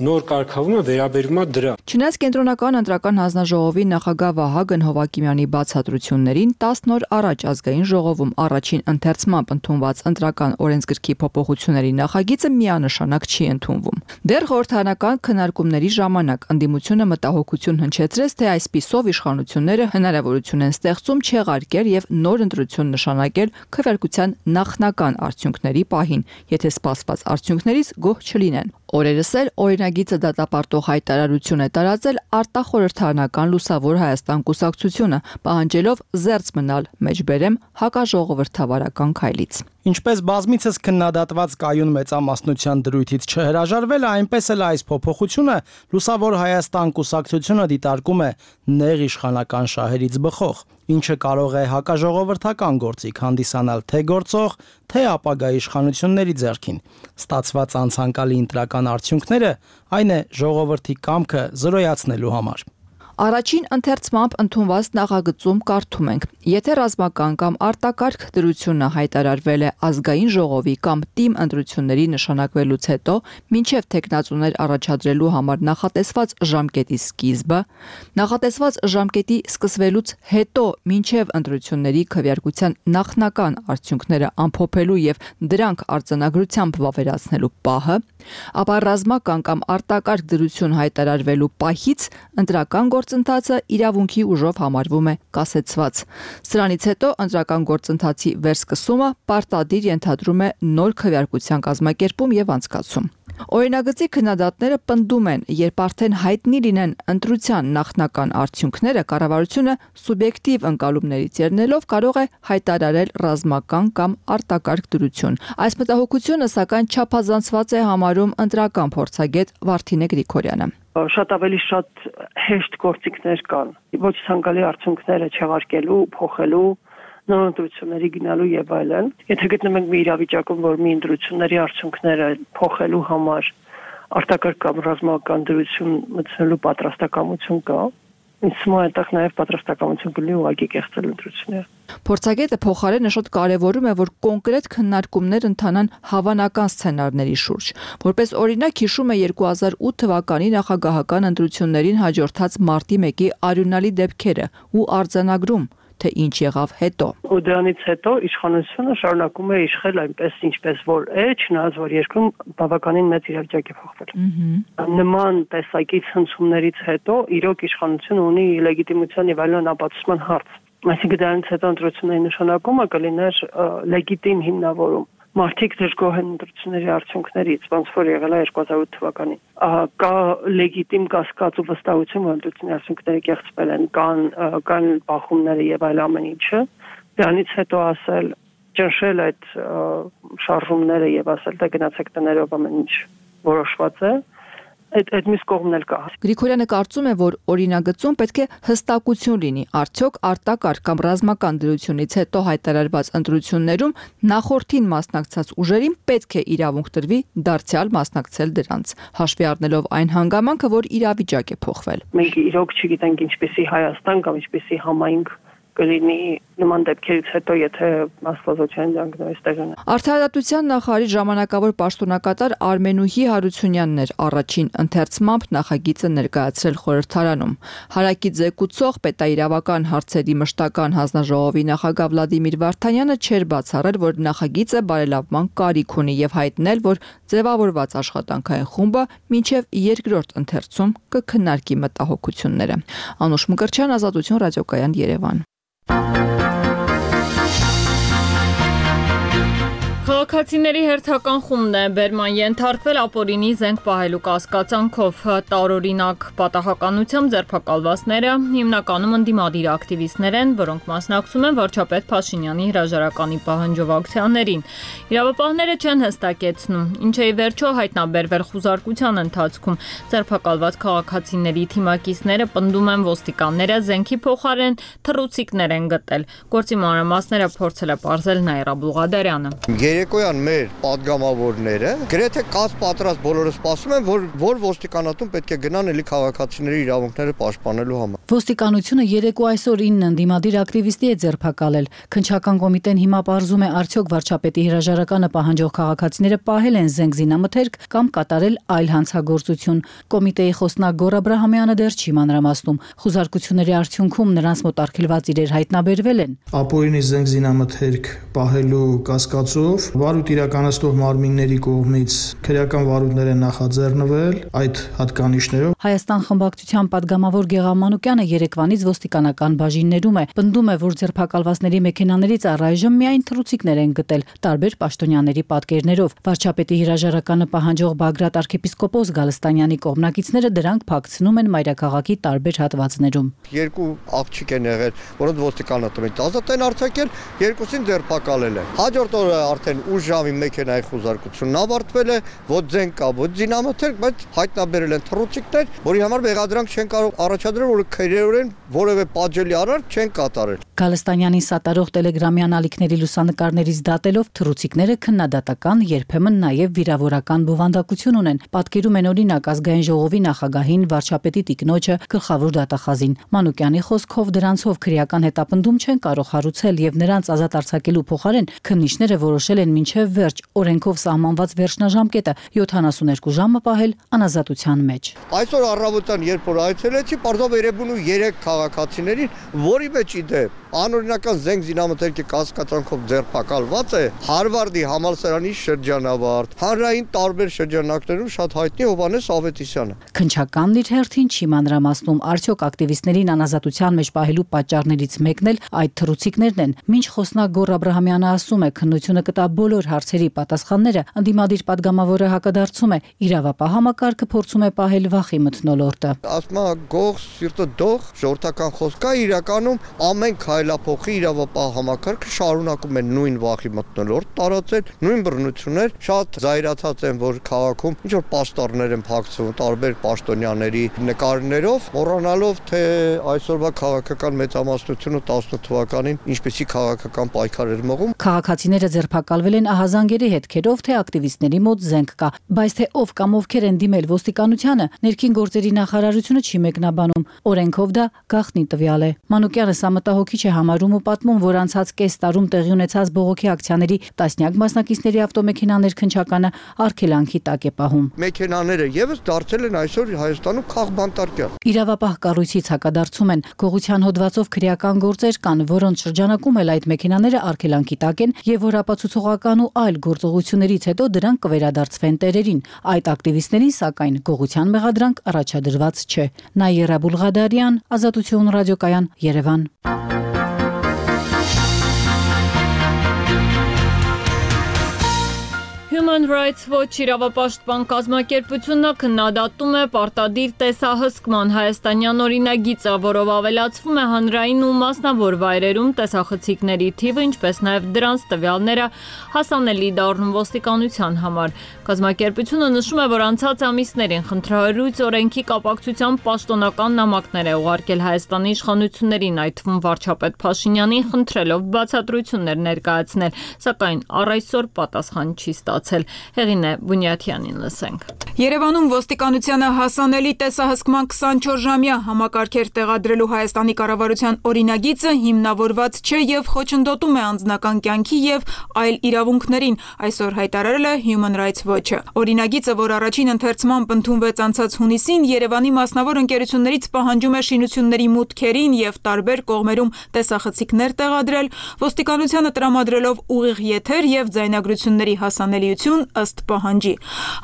նոր կարգավորումը վերաբերում է դրան։ Չնայած կենտրոնական ընտրական հանձնաժողովի նախագահ Վահագն Հովակիմյանի բացատրություններին 10 օր առաջ ազգային ժողովում առաջին ընթերցմամբ ընդունված ընտրական օրենսգրքի փոփոխությունների նախագիծը միանշանակ չի ընդունվում։ Դեռ խորհրդարանական քննարկումների ժամանակ ընդդիմությունը մտահոգություն հնչեցրեց, թե այսպիսով իշխանությունները հնարավորություն են ստեղծում չեղարկել եւ նոր ընտրություն նշանակել քվեարկության նախնական արդյունքների պահին, եթե սպասված արդյունքներից գոհ չլինեն։ Օրերս էլ օրինագիծը դատապարտող հայտարարություն է տարածել արտախորհրդարանական Լուսավոր Հայաստան կուսակցությունը, պահանջելով զերծ մնալ մեջբերեմ հակաժողովրդավարական քայլից։ Ինչպես բազմիցս քննադատված կայուն մեծամասնության դրույթից չհրաժարվել, այնպես էլ այս փոփոխությունը Լուսավոր Հայաստան կուսակցությունը դիտարկում է նեղ իշխանական շահերից բխող, ինչը կարող է հակաժողովրդական գործիք հանդիսանալ թե գործող, թե ապագա իշխանությունների ձեռքին։ Ստացված անցանկալի ընտրական արդյունքները այն է ժողովրդի կամքը զրոյացնելու համար։ Առաջին ընթերցմամբ ընդունված նախագծում կարդում ենք. եթե ռազմական կամ արտակարգ դրությունը հայտարարվել է ազգային ժողովի կամ թիմ ընտրությունների նշանակվելուց հետո, մինչև տեխնացուներ առաջադրելու համար նախատեսված ժամկետի սկիզբը, նախատեսված ժամկետի սկսվելուց հետո մինչև ընտրությունների քվեարկության նախնական արդյունքները ամփոփելու եւ դրանք արձանագրությամբ վավերացնելու պահը, ապա ռազմական կամ արտակարգ դրություն հայտարարվելու պահից ընտրական գործընթացը իրավունքի ուժով համարվում է կասեցված։ Սրանից հետո ընտրական գործընթացի վերսկսումը պարտադիր ենթադրում է նոր քվեարկության կազմակերպում եւ անցկացում։ Օրինագծի քննադատները պնդում են, երբ արդեն հայտնի լինեն ընտրության նախնական արդյունքները, կառավարությունը սուբյեկտիվ ընկալումներից ելնելով կարող է հայտարարել ռազմական կամ արտակարգ դրություն։ Այս մտահոգությունը սակայն չափազանցված է համարում ընտրական փորձագետ Վարդինե Գրիգորյանը։ Շատ ավելի շատ հեշտ գործիքներ կան, ոչ ցանկալի արդյունքները չեղարկելու, փոխելու, նոր ընտրությունների գնալու եւ այլն։ Եթե գտնվում ենք մի իրավիճակում, որ մի ընտրությունների արդյունքները փոխելու համար արտակարգ կամ ռազմական դրություն մտցնելու պատրաստակամություն կա, ինձ թվում է այդտեղ նաեւ պատրաստակամություն կլինի ուղղակի կեղծել ընտրությունները։ Փորձագետը փոխարենը շատ կարևորում է, որ կոնկրետ քննարկումներ ընթանան հավանական սցենարների շուրջ։ Որպես օրինակ հիշում է 2008 թվականի նախագահական ընտրություններին հաջորդած մարտի 1-ի արյունալի դեպքերը ու արձանագրում, թե ինչ եղավ հետո։ Ու դրանից հետո իշխանությունը շարունակում է իշխել այնպես, ինչպես որ է, չնայած որ երկրում բավականին մեծ իրավիճակ է փոխվել։ Նման տեսակի ցնցումներից հետո իրոք իշխանությունը ունի լեգիտիմության եւ այլն ապացուցման հարց։ Այսինքն դրանից հետո ընտրությունների նշանակումը կլիներ լեգիտիմ հիմնավորում։ Մարդիկ դժգոհ են ընտրությունների արդյունքներից, ոնց որ եղել է 2008 թվականին։ Կա լեգիտիմ կասկած ու վստահություն, որ ընտրությունների արդյունքները կեղծվել են, կան բախումները եւ այլ ամեն ինչը։ Դրանից հետո ասել, ճնշել այդ շարժումները եւ ասել, թե գնացեք տներով ամեն ինչ որոշված է, այդ մյուս կողմն էլ կա։ Գրիգորյանը կարծում է, որ օրինագծում պետք է հստակություն լինի, արդյոք արտակարգ կամ ռազմական դրությունից հետո հայտարարված ընտրություններում նախորդին մասնակցած ուժերին պետք է իրավունք տրվի դարձյալ մասնակցել դրանց, հաշվի առնելով այն հանգամանքը, որ իրավիճակ է փոխվել։ Մենք իրոք չգիտենք ինչպեսի Հայաստան կամ ինչպեսի համայնք կլինի նման դեպքերից հետո, եթե աստվածության ջանքերից տեղն է։ Արդարադատության նախարարի ժամանակավոր պաշտոնակատար Արմենուհի Հարությունյանն էր առաջին ընթերցմամբ նախագիծը ներկայացրել խորհրդարանում։ Հարակի ձեկուցող պետաիրավական հարցերի մշտական հանձնաժողովի նախագահ Վլադիմիր Վարդանյանը չէր բացառել, որ նախագիծը բարելավման կարիք ունի եւ հայտնել, որ ձևավորված աշխատանքային խումբը մինչեւ երկրորդ ընթերցում կքննարկի մտահոգությունները։ Անուշ Մկրտչյան, Ազատություն, ռադիոկայան, Երևան։ Քաղաքացիների հերթական խումբն է բերման ենթարկվել ապօրինի զենք պահելու կասկածանքով։ Տարօրինակ պատահականությամբ ձերբակալվածները հիմնականում ընդդիմադիր ակտիվիստներ են, որոնք մասնակցում են վարչապետ Փաշինյանի հրաժարականի պահանջով ակցիաներին։ Իրավապահները չեն հստակեցնում, ինչ է ի վերջո հայտնաբերվել խուզարկության ընթացքում։ Ձերբակալված քաղաքացիների թիմակիցները պնդում են ոստիկանները զենքի փոխարեն թռուցիկներ են գտել։ Գործի մանրամասները փորձել է պարզել Նաիրա Բուղադարյանը։ Երեկոյան մեր падգամավորները գրեթե կաց պատրաստ բոլորը սպասում են, որ ոստիկանատուն պետք է գնան էլի քաղաքացիների իրավունքները պաշտպանելու համար։ Ոստիկանությունը երեկո այսօր 9 ընդդիմադիր ակտիվիստի է ձերբակալել։ Քննչական կոմիտեն հիմա պարզում է արդյոք վարչապետի հրաժարականը պահանջող քաղաքացիները պահել են զենք զինամթերք կամ կատարել այլ հանցագործություն։ Կոմիտեի խոսնակ Գոռ Աբրահամյանը դեռ չի մանրամասնում։ Խուզարկությունների արդյունքում նրանց մոտ արգելված իրեր հայտնաբերվել են։ Ապօրինի զենք զինամթերք պահելու կասկածով վարույթ իրականացնող մարմինների կողմից քրեական վարույթներ են նախաձեռնվել այդ հատկանիշներով։ Հայաստան խմբակցության падգամավոր Գեղամ Մանուկյանը երեկվանից ոստիկանական բաժիններում է, պնդում է, որ ձերբակալվածների մեքենաներից առայժմ միայն թռուցիկներ են գտել տարբեր պաշտոնյաների պատկերներով։ Վարչապետի հրաժարականը պահանջող Բագրատ arczepiskopos Գալստանյանի կողմնակիցները դրանք փակցնում են մայրաքաղաքի տարբեր հատվածներում։ Երկու աղջիկ են եղել, որոնց ոստիկանատունից ազատ են արձակել, երկուսին ձերբակալել են։ Հաջորդ օրը արդեն ուշ ժամի մեքենայի խուզարկությունն ավարտվել է, ոչ զենք կա, ոչ զինամթերք, բայց հայտնաբերել են թռուցիկներ, որի համար մեղադրանք չեն կարող առաջադրել, որ քրեորեն որևէ պատժելի արարք չեն կատարել։ Գալստանյանի սատարող տելեգրամյան ալիքների լուսանկարներից դատելով թռուցիկները քննադատական, երբեմն նաև վիրավորական բովանդակություն ունեն։ Պատկերում են օրինակ ազգային ժողովի նախագահին, վարչապետի տիկնոջը, գլխավոր դատախազին։ Մանուկյանի խոսքով դրանցով քրեական հետապնդում չեն կարող հարուցել եւ նրանց ազատ արձակելու փոխարեն քննիչները որոշել են մինչև վերջ օրենքով սահմանված վերջնաժամկետը 72 ժամը պահել անազատության մեջ։ Այսօր առավոտյան երբ որ այցելեցի, պարզով Երևանու 3 քաղաքացիներին, որի մեջ իդեպ անօրինական զենք զինամթերքի կասկածանքով ձերբակալված է Հարվարդի համալսարանի շրջանավարտ, հանրային տարբեր շրջանակներում շատ հայտնի Հովհաննես Ավետիսյանը։ Քննչականն իր հերթին չի մանրամասնում, արդյոք ակտիվիստներին անազատության մեջ պահելու պատճառներից մեկն էլ այդ թռուցիկներն են։ Մինչ խոսնակ Գոռ Աբրահամյանը ասում է, քննությունը կտա բոլոր հարցերի պատասխանները, ընդդիմադիր падգամավորը հակադարձում է, իրավապահ համակարգը փորձում է պահել վախի մթնոլորտը։ Ասում է գող սիրտը դող, ժողովրդական խոսք է, իրականում ամեն քայլափոխի իրավապահ համակարգը շարունակում է նույն վախի մթնոլորտ տարածել, նույն բռնություններ, շատ զայրացած են, որ քաղաքում ինչ որ պաստառներ են փակցվում տարբեր պաշտոնյաների նկարներով, մոռանալով թե այսօրվա քաղաքական մեծամասնությունը 18 թվականին ինչպեսի քաղաքական պայքար էր մղում։ Քաղաքացիները ձերբակալվել են ահազանգերի հետքերով, թե ակտիվիստների մոտ զենք կա, բայց թե ով կամ ովքեր են դիմել ոստիկանությանը, ներքին գործերի նախարարությունը չի մեկնաբանում, օրենքով դա գաղտնի տվյալ է։ Մանուկյանը սա մտահոգիչ է համարում ու պատմում, որ անցած կես տարում տեղի ունեցած բողոքի ակցիաների տասնյակ մասնակիցների ավտոմեքենաներ քնչականը արգելանքի տակ է պահում։ Մեքենաները եւս դարձել են այսօր Հայաստանում քաղբանտարկյալ։ Իրավապահ կառույցից հակադարձում են, գողության հոդվածով քրեական գործեր կան, որոնց շրջանակում էլ այդ մեքենաները արգելանքի տակ են եւ որ ապացուցողական ու այլ գործողություններից հետո դրանք կվերադարձվեն տերերին։ Այդ ակտիվիստներին սակայն գողության մեղադրանք առաջադրված չէ։ Նաիրա Բուլղադարյան, Ազատություն ռադիոկայան, Երևան։ Human Rights Watch իրավապաշտպան կազմակերպությունը քննադատում է պարտադիր տեսահսկման հայաստանյան օրինագիծը, որով ավելացվում է հանրային ու մասնավոր վայրերում տեսախցիկների թիվը, ինչպես նաև դրանց տվյալները հասանելի դառնում ոստիկանության համար։ Կազմակերպությունը նշում է, որ անցած ամիսներին խնդրահարույց օրենքի կապակցությամբ պաշտոնական նամակներ է ուղարկել Հայաստանի իշխանություններին, այդ թվում վարչապետ Փաշինյանին, խնդրելով բացատրություններ ներկայացնել, սակայն առ այսօր պատասխան չի ստացել։ Հեղինե Բունյաթյանին լսենք։ Երևանում ոստիկանությանը հասանելի տեսահսկման 24-ժամյա համակարգեր տեղադրելու Հայաստանի կառավարության օրինագիծը հիմնավորված չէ եւ խոչընդոտում է անձնական կյանքի եւ այլ իրավունքներին, այսօր հայտարարել է Human Rights Watch-ը։ Օրինագիծը, որ առաջին ընթերցմամբ ընդունվեց անցած հունիսին, Երևանի մասնավոր ընկերություններից պահանջում է շինությունների մուտքերին եւ տարբեր կողմերում տեսախցիկներ տեղադրել, ոստիկանությանը տրամադրելով ուղիղ եթեր եւ ձայնագրությունների հասանելիություն ըստ պահանջի։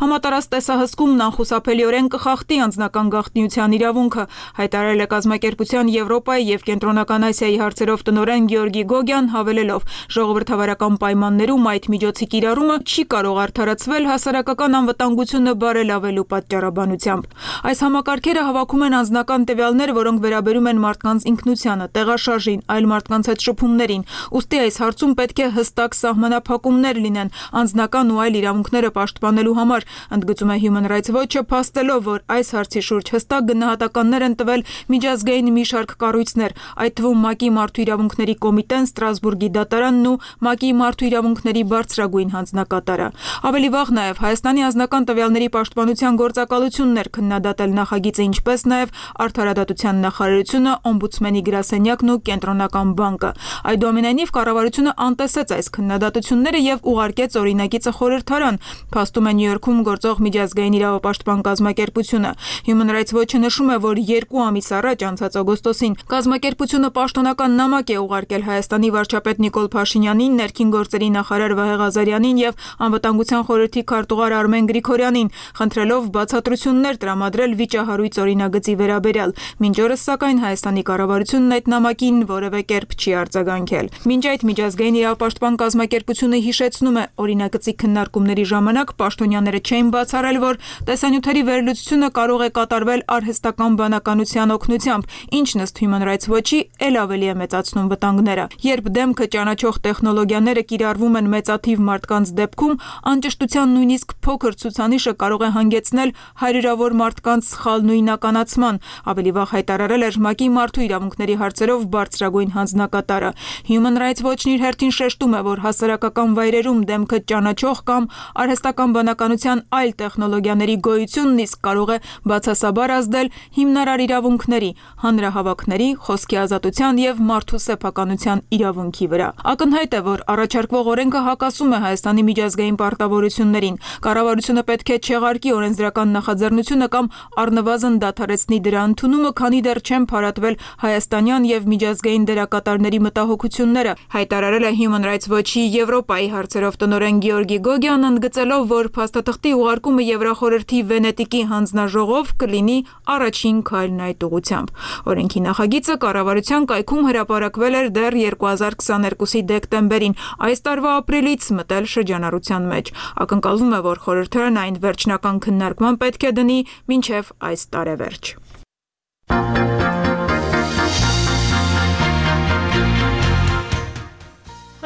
Համատարած տեսահսկումն անխուսափելիորեն կխախտի անձնական գաղտնիության իրավունքը, հայտարարել է կազմակերպության Եվրոպայի եւ Կենտրոնական Ասիայի հարցերով տնօրեն Գեորգի Գոգյան, հավելելով. ժողովրդավարական պայմաններում այդ միջոցի կիրառումը չի կարող արդարացվել հասարակական անվտանգությունը բարելավելու պատճառաբանությամբ։ Այս համակարգերը հավաքում են անձնական տվյալներ, որոնք վերաբերում են մարդկանց ինքնությանը, տեղաշարժին, այլ մարդկանց հետ շփումներին։ Ուստի այս հարցում պետք է հստակ սահմանափակումներ լինեն անձնական ու այլ իրավունքները պաշտպանելու համար, ընդգծում է Human Rights Watch-ը, փաստելով, որ այս հարցի շուրջ հստակ գնահատականներ են տվել միջազգային մի շարք կառույցներ, այդ թվում ՄԱԿ-ի Մարդու իրավունքների կոմիտեն, Ստրասբուրգի դատարանն ու ՄԱԿ-ի Մարդու իրավունքների բարձրագույն հանձնակատարը։ Ավելի վաղ նաև Հայաստանի անձնական տվյալների պաշտպանության գործակալությունն էր քննադատել նախագիծը, ինչպես նաև Արդարադատության նախարարությունը, Օմբուդսմենի գրասենյակն ու Կենտրոնական բանկը։ Այդուամենայնիվ կառավարությունը անտեսեց այս քննադատությունները եւ ուղարկեց օրինագիծը խորհրդարան, փաստում է Նյու Յորքում գործող միջազգային իրավապաշտպան կազմակերպությունը։ Human Rights Watch-ը նշում է, որ 2 ամիս առաջ անցած օգոստոսին կազմակերպությունը պաշտոնական նամակ է ուղարկել Հայաստանի վարչապետ Նիկոլ Փաշինյանին, ներքին գործերի նախարար Վահե Ղազարյանին եւ անվտանգության խորհրդի քարտուղար Արմեն Գրիգորյանին, խնդրելով բացատրություններ տրամադրել վիճահարույց օրինագծի վերաբերյալ։ Մինչ օրս սակայն Հայաստանի կառավարությունն այդ նամակին որևէ կերպ չի արձագանքել։ Մինչ այդ միջազգային իրավապաշտպան կազմակերպությունը հիշեցնում է, օրինագծի քննարկումների ժամանակ պաշտոնյաները չէին բացառել, որ տեսանյութերի վերլուծությունը կարող է կատարվել արհեստական բանականության օգնությամբ, ինչն ըստ Human Rights Watch-ի ել ավելի է մեծացնում վտանգները։ Երբ դեմքը ճանաչող տեխնոլոգիաները կիրառվում են մեծաթիվ մարդկանց դեպքում, անճշտության նույնիսկ փոքր ցուցանիշը կարող է հանգեցնել հարյուրավոր մարդկանց սխալ նույնականացման, ավելի վաղ հայտարարել էր ՄԱԿ-ի Մարդու իրավունքների հարցերով բարձրագույն հանձնակատարը։ Human Rights Watch-ն իր հերթին շեշտում է, որ հասարակական վայրերում դեմքը ճանաչող կամ արհեստական բանականության այլ տեխնոլոգիաների գոյությունն իսկ կարող է բացասաբար ազդել հիմնարար իրավունքների, հանրահավաքների, խոսքի ազատության եւ մարդու սեփականության իրավունքի վրա։ Ակնհայտ է, որ առաջարկվող օրենքը հակասում է Հայաստանի միջազգային պարտավորություններին։ Կառավարությունը պետք է չեղարկի օրենսդրական նախաձեռնությունը կամ առնվազն դադարեցնի դրա ընդունումը, քանի դեռ չեն փարատվել հայաստանյան եւ միջազգային դերակատարների մտահոգությունները, հայտարարել է Human Rights Watch-ի Եվրոպայի հարցերով տնօրեն Գեորգի Գոգյան, ընդգծելով, որ փաստաթղթի ուղարկումը Եվրախորհրդի Վենետիկի հանձնաժողով կլինի առաջին քայլն այդ ուղղությամբ։ Օրենքի նախագիծը կառավարության կայքում հրապարակվել էր դեռ 2022-ի դեկտեմբերին, այս տարվա ապրիլից մտել շրջանառության մեջ։ Ակնկալվում է, որ խորհրդարան այն վերջնական քննարկման պետք է դնի մինչև այս տարեվերջ։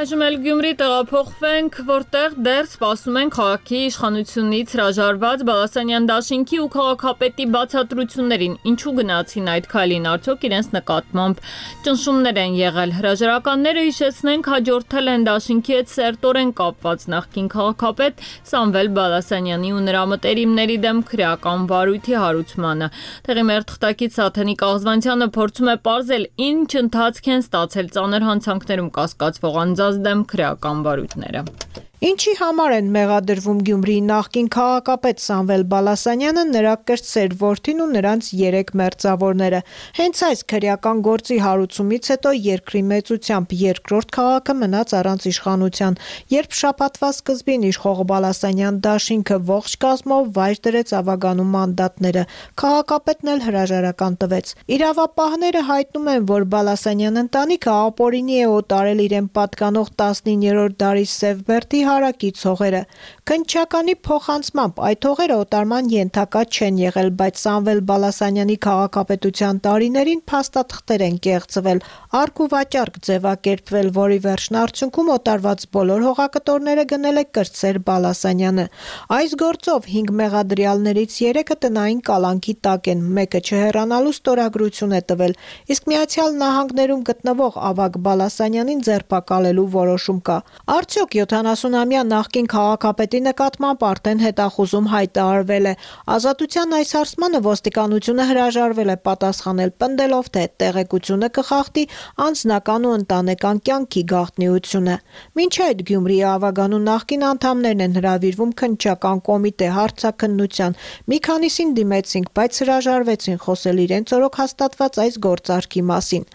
Այժմ էլ Գյումրի տեղափոխվենք, որտեղ դեռ սպասում են քաղաքի իշխանությունից հրաժարված Բալասանյան դաշինքի ու քաղաքապետի բացատրություններին, ինչու գնացին այդ քայլին, արդյոք իրենց նկատմամբ ճնշումներ են եղել։ Հրաժարականները, հիշեցնենք, հաջորդել են դաշինքի հետ սերտորեն կապված նախկին քաղաքապետ Սամվել Բալասանյանի ու նրա մտերիմների դեմ քրեական վարույթի հարուցմանը։ Տեղի մեր թղթակից Սաթենիկ Աղզվանցյանը փորձում է պարզել, ինչ ընթացք են ստացել ծանր հանցանքներում կասկածվող անձանց դեմ քրեական վարույթները։ Ինչի համար են մեղադրվում Գյումրիի նախկին քաղաքապետ Սամվել Բալասանյանը, նրա կրտսեր որդին ու նրանց 3 մերձավորները։ Հենց այս քրեական գործի հարուցումից հետո երկրի մեծությամբ երկրորդ քաղաքը մնաց առանց իշխանության, երբ շաբաթվա սկզբին իշխող Բալասանյան դաշինքը ողջ կազմով վայր դրեց ավագանու մանդատները, քաղաքապետն էլ հրաժարական տվեց։ Իրավապահները հայտնում են, որ Բալասանյան ընտանիքը ապօրինի է օտարել իրեն պատկանող 19-րդ դարի Սևբերդի հարակից հողերը։ Քննչականի փոխանցմամբ այդ հողերը օտարման ենթակա չեն եղել, բայց Սամվել Բալասանյանի քաղաքապետության տարիներին փաստաթղթեր են կեղծվել, արկ ու վաճառք ձևակերպվել, որի վերջնարդյունքում օտարված բոլոր հողակտորները գնել է կրտսեր Բալասանյանը։ Այս գործով 5 մեղադրյալներից 3-ը տնային կալանքի տակ են, մեկը չհեռանալու ստորագրություն է տվել, իսկ Միացյալ Նահանգներում գտնվող ավագ Բալասանյանին ձերբակալելու որոշում կա։ Արդյոք 70-ամյա նախկին քաղաքապետի նկատմամբ արդեն հետախուզում հայտարարվել է։ Ազատության այս հարցմանը ոստիկանությունը հրաժարվել է պատասխանել, պնդելով, թե տեղեկությունը կխախտի անձնական ու ընտանեկան կյանքի գաղտնիությունը։ Մինչ այդ Գյումրիի ավագանու նախկին անդամներն են հրավիրվում քննչական կոմիտե հարցաքննության։ Մի քանիսին դիմեցինք, բայց հրաժարվեցին խոսել իրենց օրոք հաստատված այս գործարքի մասին։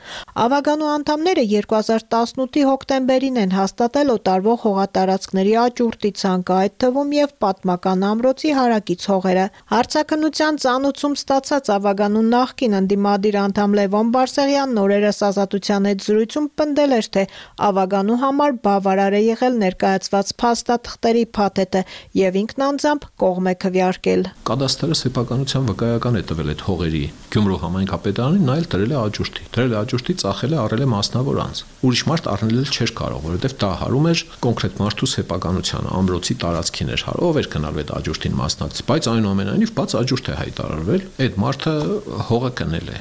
Ավագանու անդամները 2018-ի հոկտեմբերին են հաստատել օտարվող հողատարածքների աճուրդի ցանկը, այդ թվում եւ պատմական ամրոցի հարակից հողերը։ Հարցաքննության ծանուցում ստացած ավագանու նախկին ընդդիմադիր անդամ Լևոն Բարսեղյանն օրերս Ազատության հետ զրույցում պնդել էր, թե ավագանու համար բավարար է եղել ներկայացված փաստաթղթերի փաթեթը եւ ինքն անձամբ կողմ է քվեարկել։ Կադաստրը սեփականության վկայական է տվել այդ հողերի Գյումրու համայնքապետարանին, նա էլ դրել է աճուրդի։ Դրել է աճուրդի, ծախել է, առել է մասնավոր անձ։ Ուրիշ մարդ առնել չէր կարող, որովհետեւ դա հարում էր կոնկրետ մարդու սեփականությանը, ամրոցի տարածքին էր հարով, ով էր գնալու այդ աճուրդին մասնակցի, բայց այնուամենայնիվ բաց աճուրդ է հայտարարվել, այդ մարդը հողը կնել է։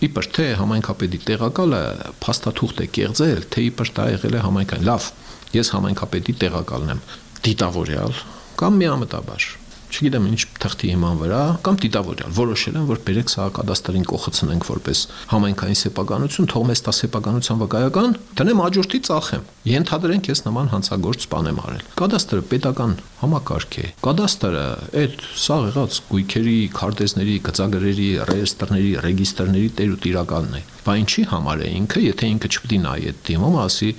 Իբր թե համայնքապետի տեղակալը փաստաթուղթ է կեղծել, թե իբր դա եղել է համայնքային։ Լավ, ես համայնքապետի տեղակալն եմ, դիտավորյալ կամ միամտաբար, չգիտեմ ինչ թղթի հիման վրա, կամ դիտավորյալ որոշել են, որ բերեք սա կադաստրին կողացնենք որպես համայնքային սեփականություն, թող մեզ տա սեփականության վկայական, դնեմ աճուրդի ծախեմ։ Ենթադրենք ես նման հանցագործ բան եմ արել։ Կադաստրը պետական համակարգ է։ Կադաստրը այդ սա եղած գույքերի, քարտեզների, գծագրերի, ռեեստրների, ռեգիստրների տեր ու տիրակալն է։ Բա ինչի համար է ինքը, եթե ինքը չպետք է նայի այդ դիմում, ասի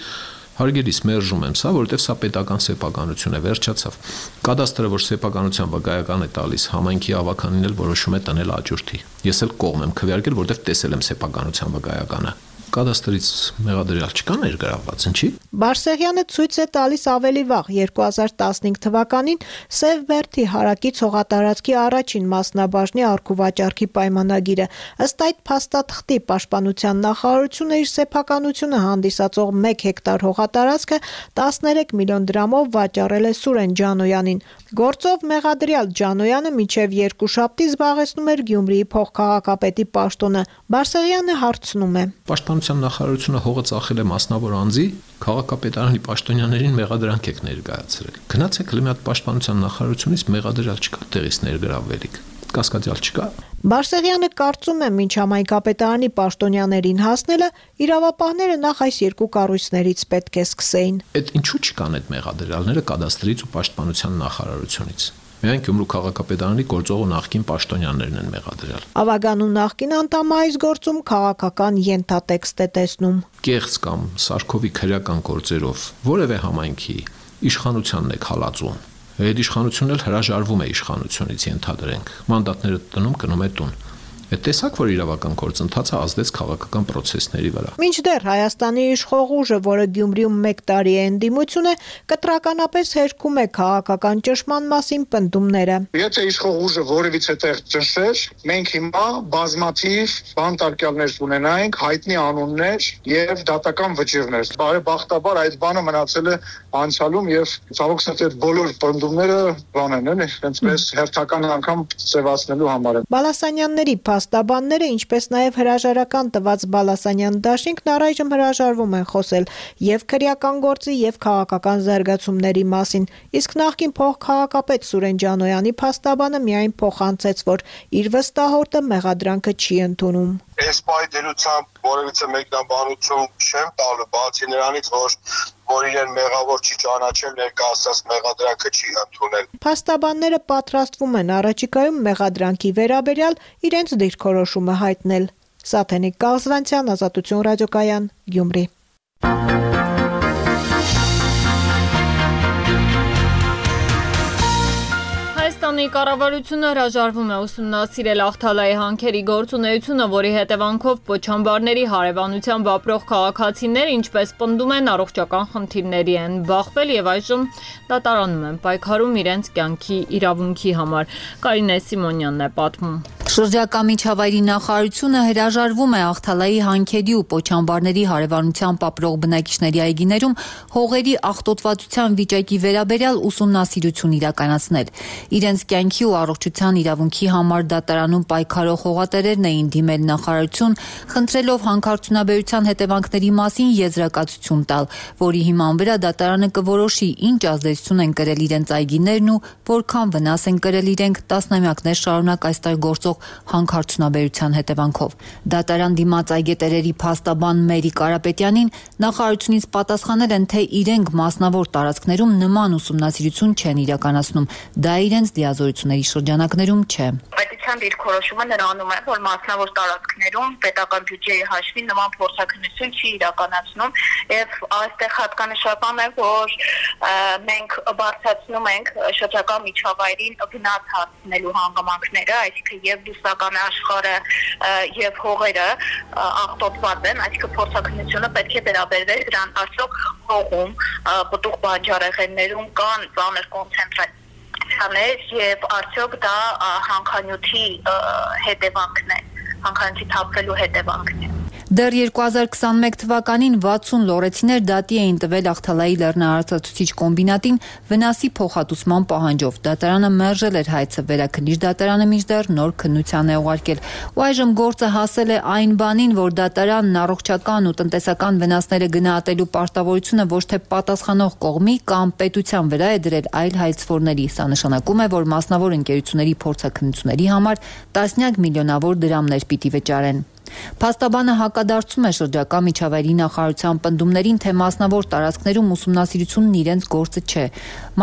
հարգելիս մերժում եմ սա, որովհետև սա պետական սեփականություն է, վերջացավ։ Կադաստրը, որ սեփականության վկայական է տալիս, համայնքի ավականին էլ որոշում է տնել աճուրդի։ Ես էլ կողմ եմ քվեարկել, որովհետև տեսել եմ սեփականության վկայականը։ Կադաստրից մեղադրյալ չկա ներգրավված, ինչի։ Բարսեղյանը ցույց է տալիս ավելի վաղ 2015 թվականին Սևբերդի հարակից հողատարածքի առաջին մասնաբաժնի արքուվաճառքի պայմանագիրը։ Ըստ այդ փաստաթղթի պաշտպանության նախարարությունը իր սեփականությունը հանդիսացող 1 հեկտար հողատարածքը 13 միլիոն դրամով վաճառել է Սուրեն Ջանոյանին։ Գործով մեղադրյալ Ջանոյանը մինչև երկուշաբթի զբաղեցնում էր Գյումրիի փոխքաղաքապետի պաշտոնը։ Բարսեղյանը հարցնում է. Պաշտպանության նախարարությունը հողը ծախել է մասնավոր անձի, քաղաքապետարանի պաշտոնյաներին մեղադրանք եք ներկայացրել։ Գնացեք մի հատ պաշտպանության նախարարությունից մեղադրյալ չկա, տեղից ներգրավվելիք, կասկածյալ չկա։ Բարսեղյանը կարծում է, մինչ համայնքապետարանի պաշտոնյաներին հասնելը իրավապահները նախ այս երկու կառույցներից պետք է սկսեին։ Այդ ինչու չկան այդ մեղադրյալները կադաստրից ու պաշտպանության նախարարությունից։ Միայն Գյումրու քաղաքապետարանի գործող ու նախկին պաշտոնյաներն են մեղադրյալ։ Ավագանու նախկին անդամը այս գործում քաղաքական ենթատեքստ է տեսնում։ Կեղծ կամ սարքովի քրեական գործերով որևէ համայնքի իշխանությանն է հալածում։ Այդ իշխանությունն էլ հրաժարվում է իշխանությունից, ենթադրենք։ Մանդատները տնում գնում է տուն։ Այդ տեսակ, որ իրավական գործընթացը ազդեց քաղաքական process-ների վրա։ Մինչդեռ Հայաստանի իշխող ուժը, որը Գյումրիում 1 տարի է ընդդիմություն է, կտրականապես հերքում է քաղաքական ճնշման մասին պնդումները։ Եթե իշխող ուժը որևիցե տեղ ճնշեր, մենք հիմա բազմաթիվ բանտարկյալներ ունենայինք, հայտնի անուններ եւ դատական վճիռներ։ Բարեբախտաբար այդ բանը մնացել է անցյալում եւ ցավոք սրտի բոլոր պնդումները բանեն, էլի, այնպես հերթական անգամ ծեվացնելու համար են։ Բալասանյանների փաստաբանները, ինչպես նաև հրաժարական տված Բալասանյան դաշինքն առայժմ հրաժարվում են խոսել եւ քրեական գործի եւ քաղաքական զարգացումների մասին, իսկ նախկին փոխքաղաքապետ Սուրեն Ջանոյանի փաստաբանը միայն փոխանցեց, որ իր վստահորդը մեղադրանքը չի ընդունում։ Այս պայդելությամբ որևիցե մեկնաբանություն չեմ տալու, բացի նրանից, որ իրեն մեղավոր չի ճանաչել, ներկայացած մեղադրանքը չի ընդունել։ Փաստաբանները պատրաստվում են առաջիկայում մեղադրանքի վերաբերյալ իրենց դիրքորոշումը հայտնել։ Սաթենիկ Կալզվանցյան, Ազատություն ռադիոկայան, Գյումրի։ Հայաստանի կառավարությունը հրաժարվում է ուսումնասիրել Ախթալայի հանքերի գործունեությունը, որի հետևանքով Պոչամբարների հարևանությամբ ապրող քաղաքացիներ, ինչպես պնդում են, առողջական խնդիրների են բախվել եւ այժմ դատարանում են պայքարում իրենց կյանքի իրավունքի համար։ Կարինե Սիմոնյանն է պատմում։ Շրջակա միջավայրի նախարարությունը հրաժարվում է Ախթալայի հանքերի ու Պոչամբարների հարևանությամբ ապրող բնակիչների այգիներում հողերի աղտոտվածության վիճակի վերաբերյալ ուսումնասիրություն իրականացնել։ Իրենց կյանքի ու առողջության իրավունքի համար դատարանում պայքարող հողատերերն էին դիմել նախարարություն, խնդրելով հանքարդյունաբերության հետևանքների մասին եզրակացություն տալ, որի հիման վրա դատարանը կորոշի ինչ ազդեցություն են կրել իրենց այգիներն ու որքան վնաս են կրել իրենք տասնամյակներ շարունակ այստեղ գործող հանքարդյունաբերության հետևանքով։ Դատարան դիմաց այգետերերի փաստաբան Մերի Կարապետյանին նախարարությունից պատասխանել են, թե իրենք մասնավոր տարածքներում նման ուսումնասիրություն չեն իրականացնում, դա իրենց լիազորությունների շրջանակներում չէ։ Պետության դիրքորոշումը նրանում է, որ մասնավոր տարածքներում պետական բյուջեի հաշվին նման փորձաքննություն չի իրականացնում եւ այստեղ հատկանշական է, որ մենք բարձրացնում ենք շրջակա միջավայրին վնաս հասցնելու հանգամանքները, այսինքն եւ բուսական աշխարհը եւ հողերը աղտոտված են, այսինքն փորձաքննությունը պետք է վերաբերվեր դրան ասող հողում, պտուղ բանջարեղեններում կան ծանր կոնցենտրացիաներ եւ արդյոք դա հանքանյութի հետևանքն է, հանքանյութի թափվելու հետևանքն է։ Դեռ 2021 թվականին 60 լոռեցիներ դատի էին տվել Ախթալայի լեռնահարցացուցիչ կոմբինատին վնասի փոխհատուցման պահանջով։ Դատարանը մերժել էր հայցը, վերաքննիչ դատարանը մինչդեռ նոր քննության է ուղարկել։ Ու այժմ գործը հասել է այն բանին, որ դատարանն առողջական ու տնտեսական վնասները գնահատելու պարտավորությունը ոչ թե պատասխանող կողմի կամ պետության վրա է դրել, այլ հայցվորների։ Սա նշանակում է, որ մասնավոր ընկերությունների փորձաքննությունների համար տասնյակ միլիոնավոր դրամներ պիտի վճարեն։ Փաստաբանը հակադարձում է շրջակա միջավայրի նախարարության պնդումներին, թե մասնավոր տարածքներում ուսումնասիրությունն իրենց գործը չէ։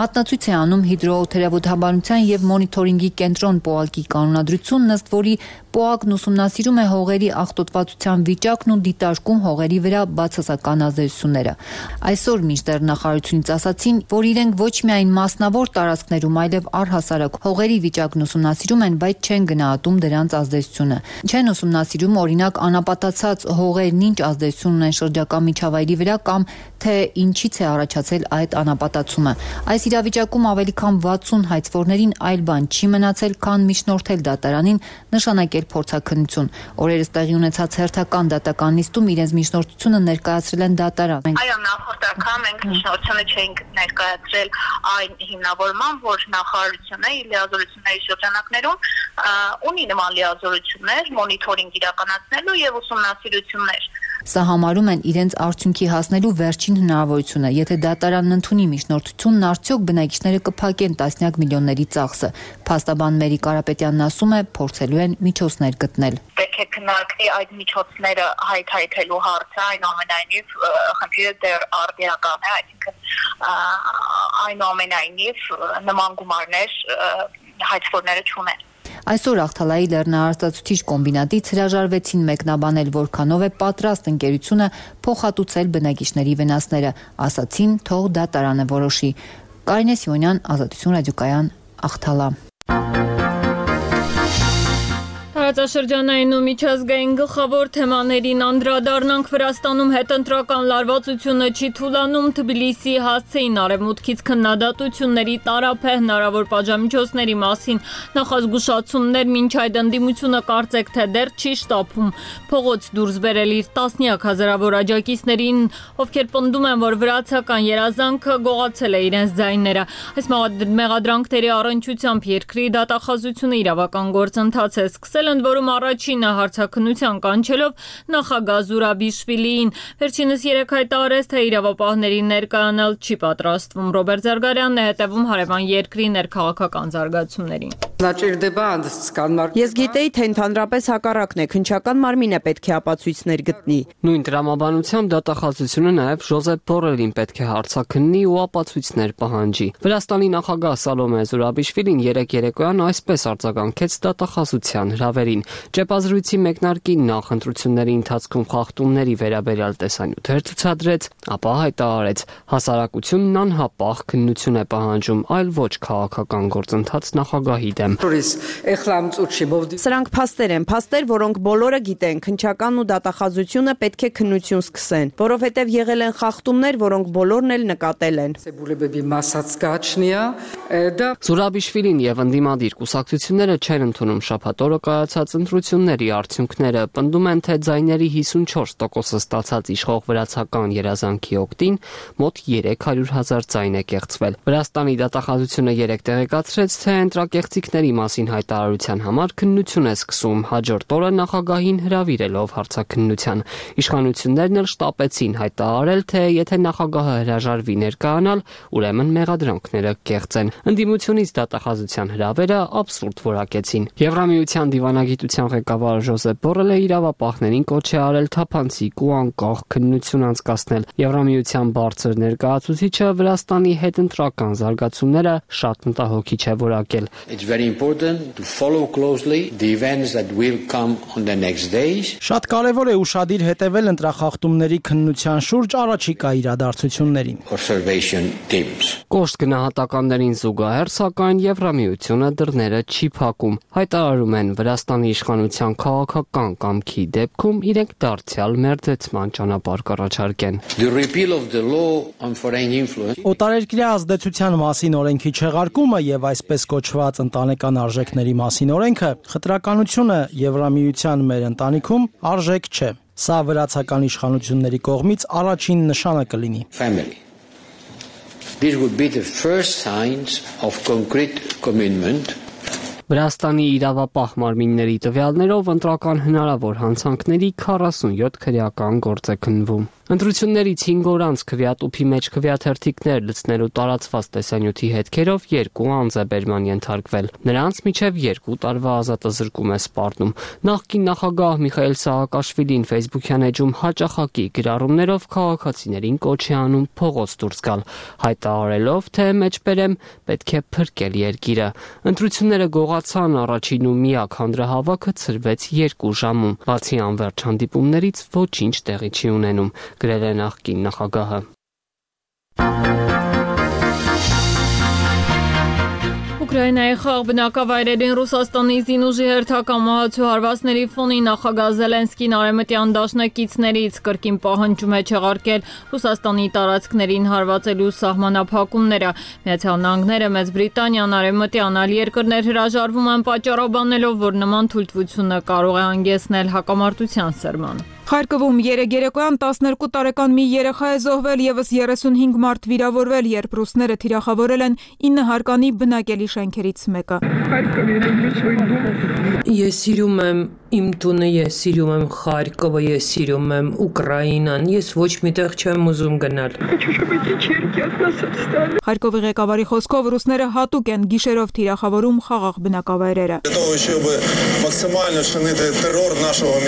Մատնացույց է անում հիդրոթերապևտաբանության եւ մոնիթորինգի կենտրոն ՊՕԱԿ-ի կանոնադրությունն, ըստ որի ՊՕԱԿ-ն ուսումնասիրում է հողերի աղտոտվածության վիճակն ու դիտարկում հողերի վրա բացասական ազդեցությունները։ Այսօր մինչդեռ նախարարությունից ասացին, որ իրենք ոչ միայն մասնավոր տարածքներում, այլև առհասարակ հողերի վիճակն ուսումնասիրում են, բայց չեն գնահատում դրանց ազդեցությունը։ Չեն ուսումնասիրում օրինակ անապատացած հողերն ինչ ազդեցություն ունեն շրջակա միջավայրի վրա կամ թե ինչից է առաջացել այդ անապատացումը։ Այս իրավիճակում ավելի քան 60 հայցվորներին այլ բան չի մնացել, քան միջնորդել դատարանին, նշանակել փորձաքննություն։ Օրերս տեղի ունեցած հերթական դատական նիստում իրենց միջնորդությունը ներկայացրել են դատարան։ Այո, նախորդ անգամ մենք միջնորդությունը չենք ներկայացրել այն հիմնավորման, որ նախարարությունը իր լիազորությունների շրջանակներում ունի նման լիազորություններ, մոնիթորինգ իրականացնելու եւ ուսումնասիրություններ։ Սա համարում են իրենց արդյունքի հասնելու վերջին հնարավորությունը։ Եթե դատարանն ընդունի միջնորդությունն, արդյոք բնակիչները կփակեն տասնյակ միլիոնների ծախսը։ Փաստաբան Մերի Կարապետյանն ասում է, փորձելու են միջոցներ գտնել։ Պետք է քննարկվի այդ միջոցները հայթայթելու հարցը, այնուամենայնիվ խնդիրը դեռ արդիական է, այսինքն այնուամենայնիվ նման գումարներ հայցվորները չունեն։ Այսօր Ախթալայի լեռնահարցացուցիչ կոմբինատից հրաժարվեցին մեկնաբանել, որքանով է պատրաստ ընկերությունը փոխհատուցել բնակիչների վնասները, ասացին, թող դատարանը որոշի։ Կարինե Սիմոնյան, Ազատություն ռադիոկայան, Ախթալա։ Տարածաշրջանային ու միջազգային գլխավոր թեմաներին անդրադառնանք. Վրաստանում հետընտրական լարվածությունը չի թուլանում. Թբիլիսիի հասցեին արևմուտքից քննադատությունների տարափ է հնարավոր պատժամիջոցների մասին. Նախազգուշացումներ, մինչ այդ ընդդիմությունը կարծեք թե դեռ չի շտապում փողոց դուրս բերել իր տասնյակ հազարավոր աջակիցներին, ովքեր պնդում են, որ վրացական երազանքը գողացել է իրենց ձայները. Այս մեղադրանքների առնչությամբ երկրի դատախազությունը իրավական գործընթաց է սկսել, ընդ որում առաջինը հարցաքննության կանչելով նախագահ Զուրաբիշվիլիին. Վերջինս 3 հայտարարեց, թե իրավապահների ներկայանալ չի պատրաստվում. Ռոբերտ Զարգարյանն է հետևում հարևան երկրի ներքաղաքական զարգացումներին. Ես գիտեի, թե ընդհանրապես հակառակն է, քննչական մարմինը պետք է ապացույցներ գտնի։ Նույն տրամաբանությամբ դատախազությունը նաև Ժոզեփ Բորելին պետք է հարցաքննի ու ապացույցներ պահանջի։ Վրաստանի նախագահ Սալոմե Զուրաբիշվիլին երեկ երեկոյան այսպես արձագանքեց դատախազության հրավերին։ Ճեպազրույցի մեկնարկին նախ ընտրությունների ընթացքում խախտումների վերաբերյալ տեսանյութեր ցուցադրեց, ապա հայտարարեց. հասարակությունն անհապաղ քննություն է պահանջում, այլ ոչ քաղաքական գործընթաց նախագահի դեմ։ Սրանք փաստեր են, փաստեր, որոնք բոլորը գիտեն, քննչական ու դատախազությունը պետք է քննություն սկսեն, որովհետև եղել են խախտումներ, որոնք բոլորն էլ նկատել են։ Զուրաբիշվիլին եւ ընդդիմադիր կուսակցությունները չեն ընդունում շաբաթ օրը կայացած ընտրությունների արդյունքները, պնդում են, թե ձայների 54%-ը ստացած իշխող վրացական երազանքի օգտին մոտ 300,000 ձայն է կեղծվել։ Վրաստանի դատախազությունը երեկ տեղեկացրեց, թե ընտրակեղծիքների մասին հայտարարության համար քննություն է սկսում, հաջորդ օրը նախագահին հրավիրելով հարցաքննության։ Իշխանություններն էլ շտապեցին հայտարարել, թե եթե նախագահը հրաժարվի ներկայանալ, ուրեմն մեղադրանքները կեղծ են։ Ընդդիմությունից դատախազության հրավերը աբսուրդ որակեցին։ Եվրամիության դիվանագիտության ղեկավար Ժոզեփ Բորելը իրավապահներին կոչ է արել թափանցիկ ու անկախ քննություն անցկացնել։ Եվրամիության բարձր ներկայացուցիչը Վրաստանի հետընտրական զարգացումները շատ մտահոգիչ է որակել։ Շատ կարևոր է ուշադիր հետևել ընտրախախտումների քննության շուրջ առաջիկա իրադարձություններին։ Կոշտ գնահատականներին զուգահեռ, սակայն Եվրամիությունը դռները չի փակում։ Հայտարարում են Վրաստանի իշխանության քաղաքական կամքի դեպքում իրենք դարձյալ մերձեցման ճանապարհ կառաջարկեն։ Օտարերկրյա ազդեցության մասին օրենքի չեղարկումը եւ այսպես կոչված ընտանեկան արժեքների մասին օրենքը խտրականությունը Եվրամիության մեր ընտանիքում արժեք չէ։ Սա վրացական իշխանությունների կողմից առաջին նշանը կլինի։ This would be the first signs of concrete commitment. Վրաստանի իրավապահ մարմինների տվյալներով ընտրական հնարավոր հանցանքների 47 քրեական գործ է քննվում։ Ընտրություններից 5 օր անց քվեատուփի մեջ քվեաթերթիկներ լցնելու տարածված տեսանյութի հետքերով 2 անձ է բերման ենթարկվել։ Նրանց միջև 2 տարվա ազատազրկում է սպառնում։ Նախկին նախագահ Միխայել Սահակաշվիլին Facebook-յան էջում հաճախակի գրառումներով քաղաքացիներին կոչ է անում փողոց դուրս գալ, հայտարարելով, թե մեջբերեմ պետք է փրկել երկիրը։ Ընտրությունները գողացան, առաջին ու միակ հանրահավաքը ցրվեց 2 ժամում։ Բացի անվերջ հանդիպումներից ոչինչ տեղի չի ունենում, գրել է նախկին նախագահը։ Ուկրաինայի խաղ բնակավայրերին Ռուսաստանի զինուժի հերթական մահացու հարվածների ֆոնին նախագահ Զելենսկին արևմտյան դաշնակիցներից կրկին պահանջում է չեղարկել Ռուսաստանի տարածքներին հարվածելու սահմանափակումները։ Միացյալ Նահանգները, Մեծ Բրիտանիան, արևմտյան այլ երկրներ հրաժարվում են պատճառաբանելով, որ նման թույլտվությունը կարող է հանգեցնել հակամարտության սրման։ Խարկովում երեկ երեկոյան 12 տարեկան մի երեխա է զոհվել, եւս 35 մարդ վիրավորվել, երբ ռուսները թիրախավորել են 9 հարկանի բնակելի շենքերից մեկը։ Ես սիրում եմ իմ տունը, ես սիրում եմ Խարկովը, ես սիրում եմ Ուկրաինան, ես ոչ միտեղ չեմ ուզում գնալ։ Խարկովի ղեկավարի խոսքով ռուսները հատուկ են գիշերով թիրախավորում խաղաղ բնակավայրերը։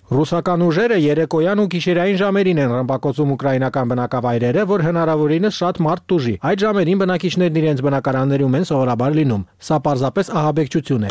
Ռուսական ուժերը երեկոյան ու գիշերային ժամերին են ռմբակոծում ուկրաինական բնակավայրերը, որ հնարավորինս շատ մարդ տուժի։ Այդ ժամերին բնակիչներն իրենց բնակարաններում են սովորաբար լինում։ Սա պարզապես ահաբեկչություն է։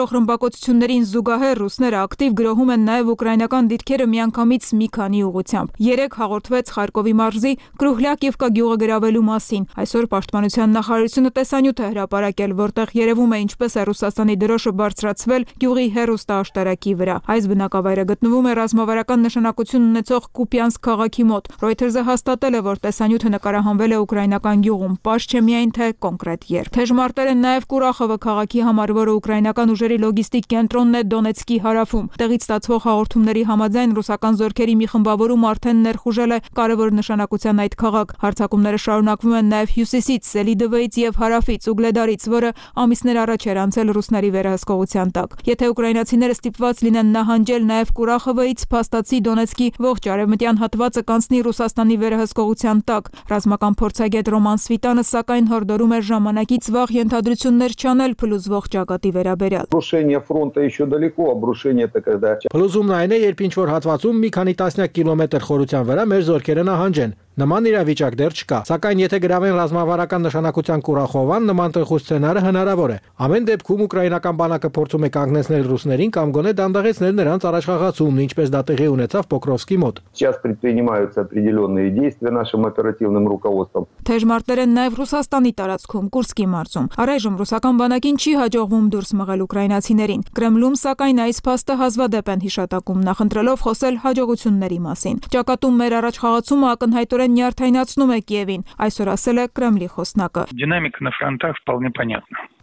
կատարվող ռմբակոծություններին զուգահեռ ռուսները ակտիվ գրոհում են նաև ուկրաինական դիրքերը միանգամից մի քանի ուղղությամբ։ Երեկ հաղորդվեց Խարկովի մարզի Կրուհլյակիվկա գյուղը գրավելու մասին։ Այսօր Պաշտպանության նախարարությունը տեսանյութ է հրապարակել, որտեղ երևում է ինչպես է Ռուսաստանի դրոշը բարձրացվել գյուղի հեռուստաաշտարակի վրա։ Այս բնակավայրը գտնվում է ռազմավարական նշանակություն ունեցող Կուպյանսկ քաղաքի մոտ։ Reuters-ը հաստատել է, որ տեսանյութը նկարահանվել է ուկրաինական գյուղում, պարզ չէ միայն թե կոնկրետ երբ։ Թեժմարտեր են նաև Կուրախովը քաղաքի համար, որը ուկրաինական ուժերի լոգիստիկ կենտրոնն է Դոնեցկի հարավում։ Տեղից ստացվող հաղորդումների համաձայն ռուսական զորքերի մի խմբավորում արդեն ներխուժել է կարևոր նշանակության այդ քաղաք։ Հարձակումները շարունակվում են նաև հյուսիսից, Սելիդովեից եւ հարավից, Ուգլեդարից, որը ամիսներ առաջ էր անցել ռուսների վերահսկողության տակ։ Եթե ուկրաինացիները ստիպված լինեն նահանջել նաև Կուրախովից, փաստացի Դոնեցկի ողջ արևմտյան հատվածը կանցնի Ռուսաստանի վերահսկողության տակ։ Ռազմական փորձագետ Ռոման Սվիտանը սակայն հորդորում էր ժամանակից վաղ ենթադրություններ չանել փլուզվող ճակատի վերաբերյալ։ Փլուզումն այն է, երբ ինչ-որ հատվածում մի քանի տասնյակ կիլոմետր խորության վրա մեր զորքերը նահանջեն։ Նման իրավիճակ դեռ չկա, սակայն եթե գրավեն ռազմավարական նշանակության Կուրախովան, նման տխուր սցենարը հնարավոր է։ Ամեն դեպքում ուկրաինական բանակը փորձում է կանգնեցնել ռուսներին կամ գոնե դանդաղեցնել նրանց առաջխաղացումն, ինչպես դա տեղի ունեցավ Պոկրովսկի մոտ։ Թեժմարտեր են նաև Ռուսաստանի տարածքում, Կուրսկի մարզում։ Առայժմ ռուսական բանակին չի հաջողվում դուրս մղել ուկրաինացիներին։ Կրեմլում սակայն այս փաստը հազվադեպ են հիշատակում, նախընտրելով խոսել հաջողությունների մասին։ Ճակատում մեր առաջխաղացումը ակնհայտորեն նյարդայնացնում է Կիևին, այսօր ասել է Կրեմլի խոսնակը։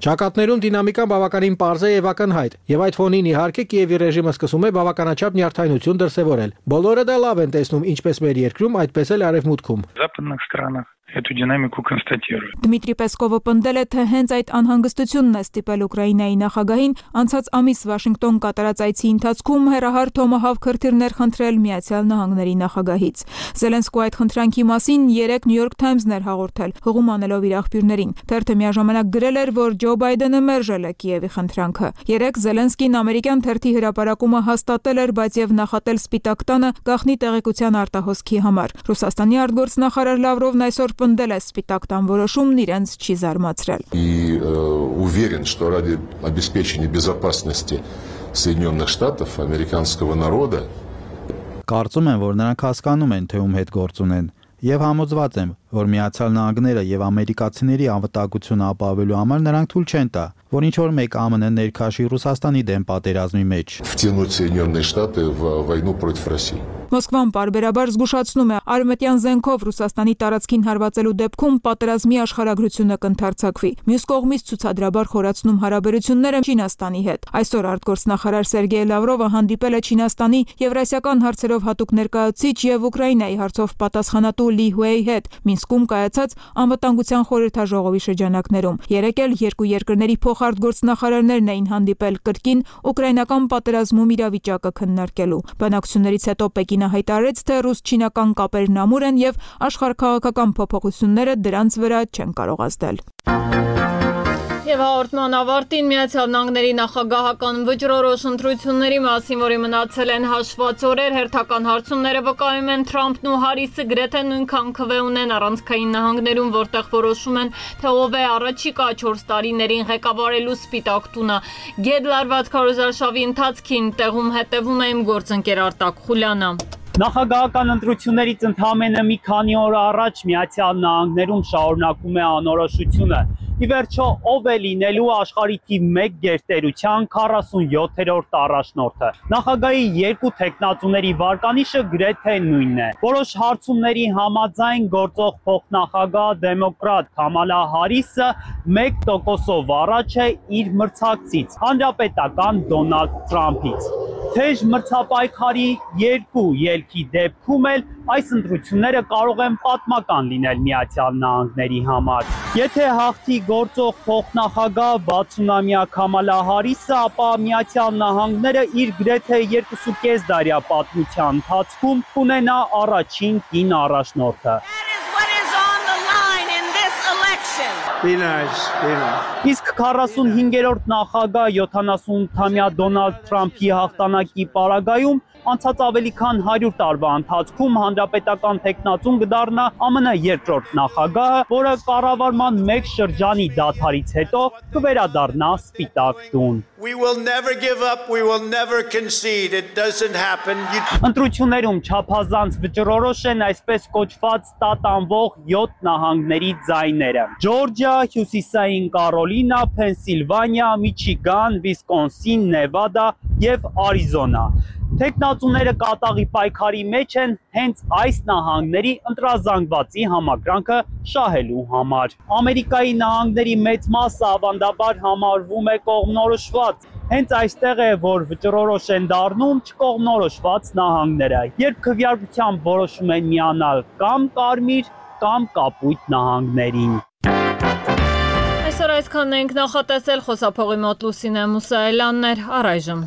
Ճակատներում դինամիկան բավականին պարզ է եւ ակնհայտ, եւ այդ ֆոնին իհարկե Կիևի ռեժիմը սկսում է բավականաչափ նյարդայնություն դրսեւորել։ Բոլորը դա լավ են տեսնում, ինչպես մեր երկրում, այդպես էլ արևմուտքում։ Эту динамику констатируют. Դմիտրի Պեսկովը պնդել է, թե հենց այդ անհանգստությունն է ստիպել Ուկրաինայի նախագահին անցած ամիս Վաշինգտոն կատարած այցի ընթացքում հերահար Թոմահավք հրթիռներ խնդրել Միացյալ Նահանգների նախագահից։ Զելենսկու այդ խնդրանքի մասին երեկ New York Times-ն էր հաղորդել, հղում անելով իր աղբյուրներին։ Թերթը միաժամանակ գրել էր, որ Ջո Բայդենը մերժել է Կիևի խնդրանքը։ Երեկ Զելենսկին ամերիկյան թերթի հրապարակումը հաստատել էր, բայց եւ նախատել Սպիտակ տանը գաղտնի տեղեկության արտահոսքի համար։ Ռուսաստանի արտգործնախարար Լավրովն այսօր պնդել է Սպիտակ տան որոշումն իրենց չի զարմացրել։ Уверен, что ради обеспечения безопасности Соединенных Штатов, американского народа Կարծում եմ, որ նրանք հասկանում են, թե ում հետ գործ ունեն, եւ համոզված եմ, որ Միացյալ Նահանգները եւ ամերիկացիների անվտանգությունը ապահովելու համար նրանք թույլ չեն տա, որ ինչ որ մեկ ԱՄՆ ներքաշի Ռուսաստանի դեմ պատերազմի մեջ։ Втянуть Соединенные Штаты в войну против России. Մոսկվան պարբերաբար զգուշացնում է, արևմտյան զենքով Ռուսաստանի տարածքին հարվածելու դեպքում պատերազմի աշխարհագրությունը կընդարձակվի։ Մյուս կողմից ցուցադրաբար խորացնում հարաբերությունները Չինաստանի հետ։ Այսօր արտգործնախարար Սերգեյ Լավրովը հանդիպել է Չինաստանի եվրասիական հարցերով հատուկ ներկայացուցիչ եւ Ուկրաինայի հարցով պատասխանատու Լի Հուեյի հետ Մինսկում կայացած անվտանգության խորհրդաժողովի շրջանակներում։ Երեկ էլ երկու երկրների փոխարտգործնախարարներն էին հանդիպել կրկին ուկրաինական պատերազմում իրավիճակը քննարկելու։ Բանակցություններից հետո Պեկինը հայտարարեց, թե ռուս-չինական կապերն ամուր են եւ աշխարհաքաղաքական փոփոխությունները դրանց վրա չեն կարող ազդել։ Եվ հաղորդման ավարտին Միացյալ Նահանգների նախագահական վճռորոշ ընտրությունների մասին, որի մնացել են հաշված օրեր, հերթական հարցումները վկայում են Թրամփն ու Հարիսը գրեթե նույնքան քվե ունեն առանցքային նահանգներում, որտեղ որոշում են, թե ով է առաջիկա 4 տարիներին ղեկավարելու Սպիտակ տունը։ Գետ լարված քարոզարշավի ընթացքին տեղում հետևում է իմ գործընկեր Արտակ Խուլյանը։ Նախագահական ընտրություններից ընդամենը մի քանի օր առաջ Միացյալ Նահանգներում շարունակում է անորոշությունը։ Ի վերջո, ով է լինելու աշխարհի թիվ 1 գերտերության 47-րդ առաջնորդը։ Նախագահի երկու թեկնածուների վարկանիշը գրեթե նույնն է։ Որոշ հարցումների համաձայն գործող փոխնախագահ դեմոկրատ Քամալա Հարիսը 1%-ով առաջ է իր մրցակցից, հանրապետական Դոնալդ Թրամփից։ Թեժ մրցապայքարի երկու ելքի դեպքում էլ այս ընտրությունները կարող են պատմական լինել Միացյալ Նահանգների համար։ Եթե հաղթի գործող փոխնախագահ 60-ամյա Քամալա Հարիսը, ապա Միացյալ Նահանգները իր գրեթե 2.5 դարյա պատմության ընթացքում կունենա առաջին կին առաջնորդը։ Իսկ 45-րդ նախագահ 78-ամյա Դոնալդ Թրամփի հաղթանակի պարագայում անցած ավելի քան 100 տարվա ընթացքում հանրապետական տեխնացուն կդառնա ԱՄՆ երկրորդ նախագահը, որը կառավարման մեկ շրջանի դադարից հետո կվերադառնա Սպիտակ տուն։ We will never give up, we will never concede. It doesn't happen. Ընտրություններում չափազանց վճռորոշ են այսպես կոչված տատանվող 7 նահանգների ձայները։ Ջորջիա, Հյուսիսային Կարոլինա, Փենսիլվանիա, Միչիգան, Վիսկոնսին, Նևադա եւ Արիզոնա։ Տեխնացուները կատաղի պայքարի մեջ են հենց այս նահանգների ընտրազանգվածի համակրանքը շահելու համար։ Ամերիկայի նահանգների մեծ մասը ավանդաբար համարվում է կողմնորոշված։ Հենց այստեղ է, որ վճռորոշ են դառնում չկողմնորոշված նահանգները, երբ քվեարկությամբ որոշում են միանալ կամ կարմիր, կամ կապույտ նահանգներին։ Այսօր այսքանն ենք նախատեսել, խոսափողի մոտ Լուսինե Մուսայելյանն էր, առայժմ։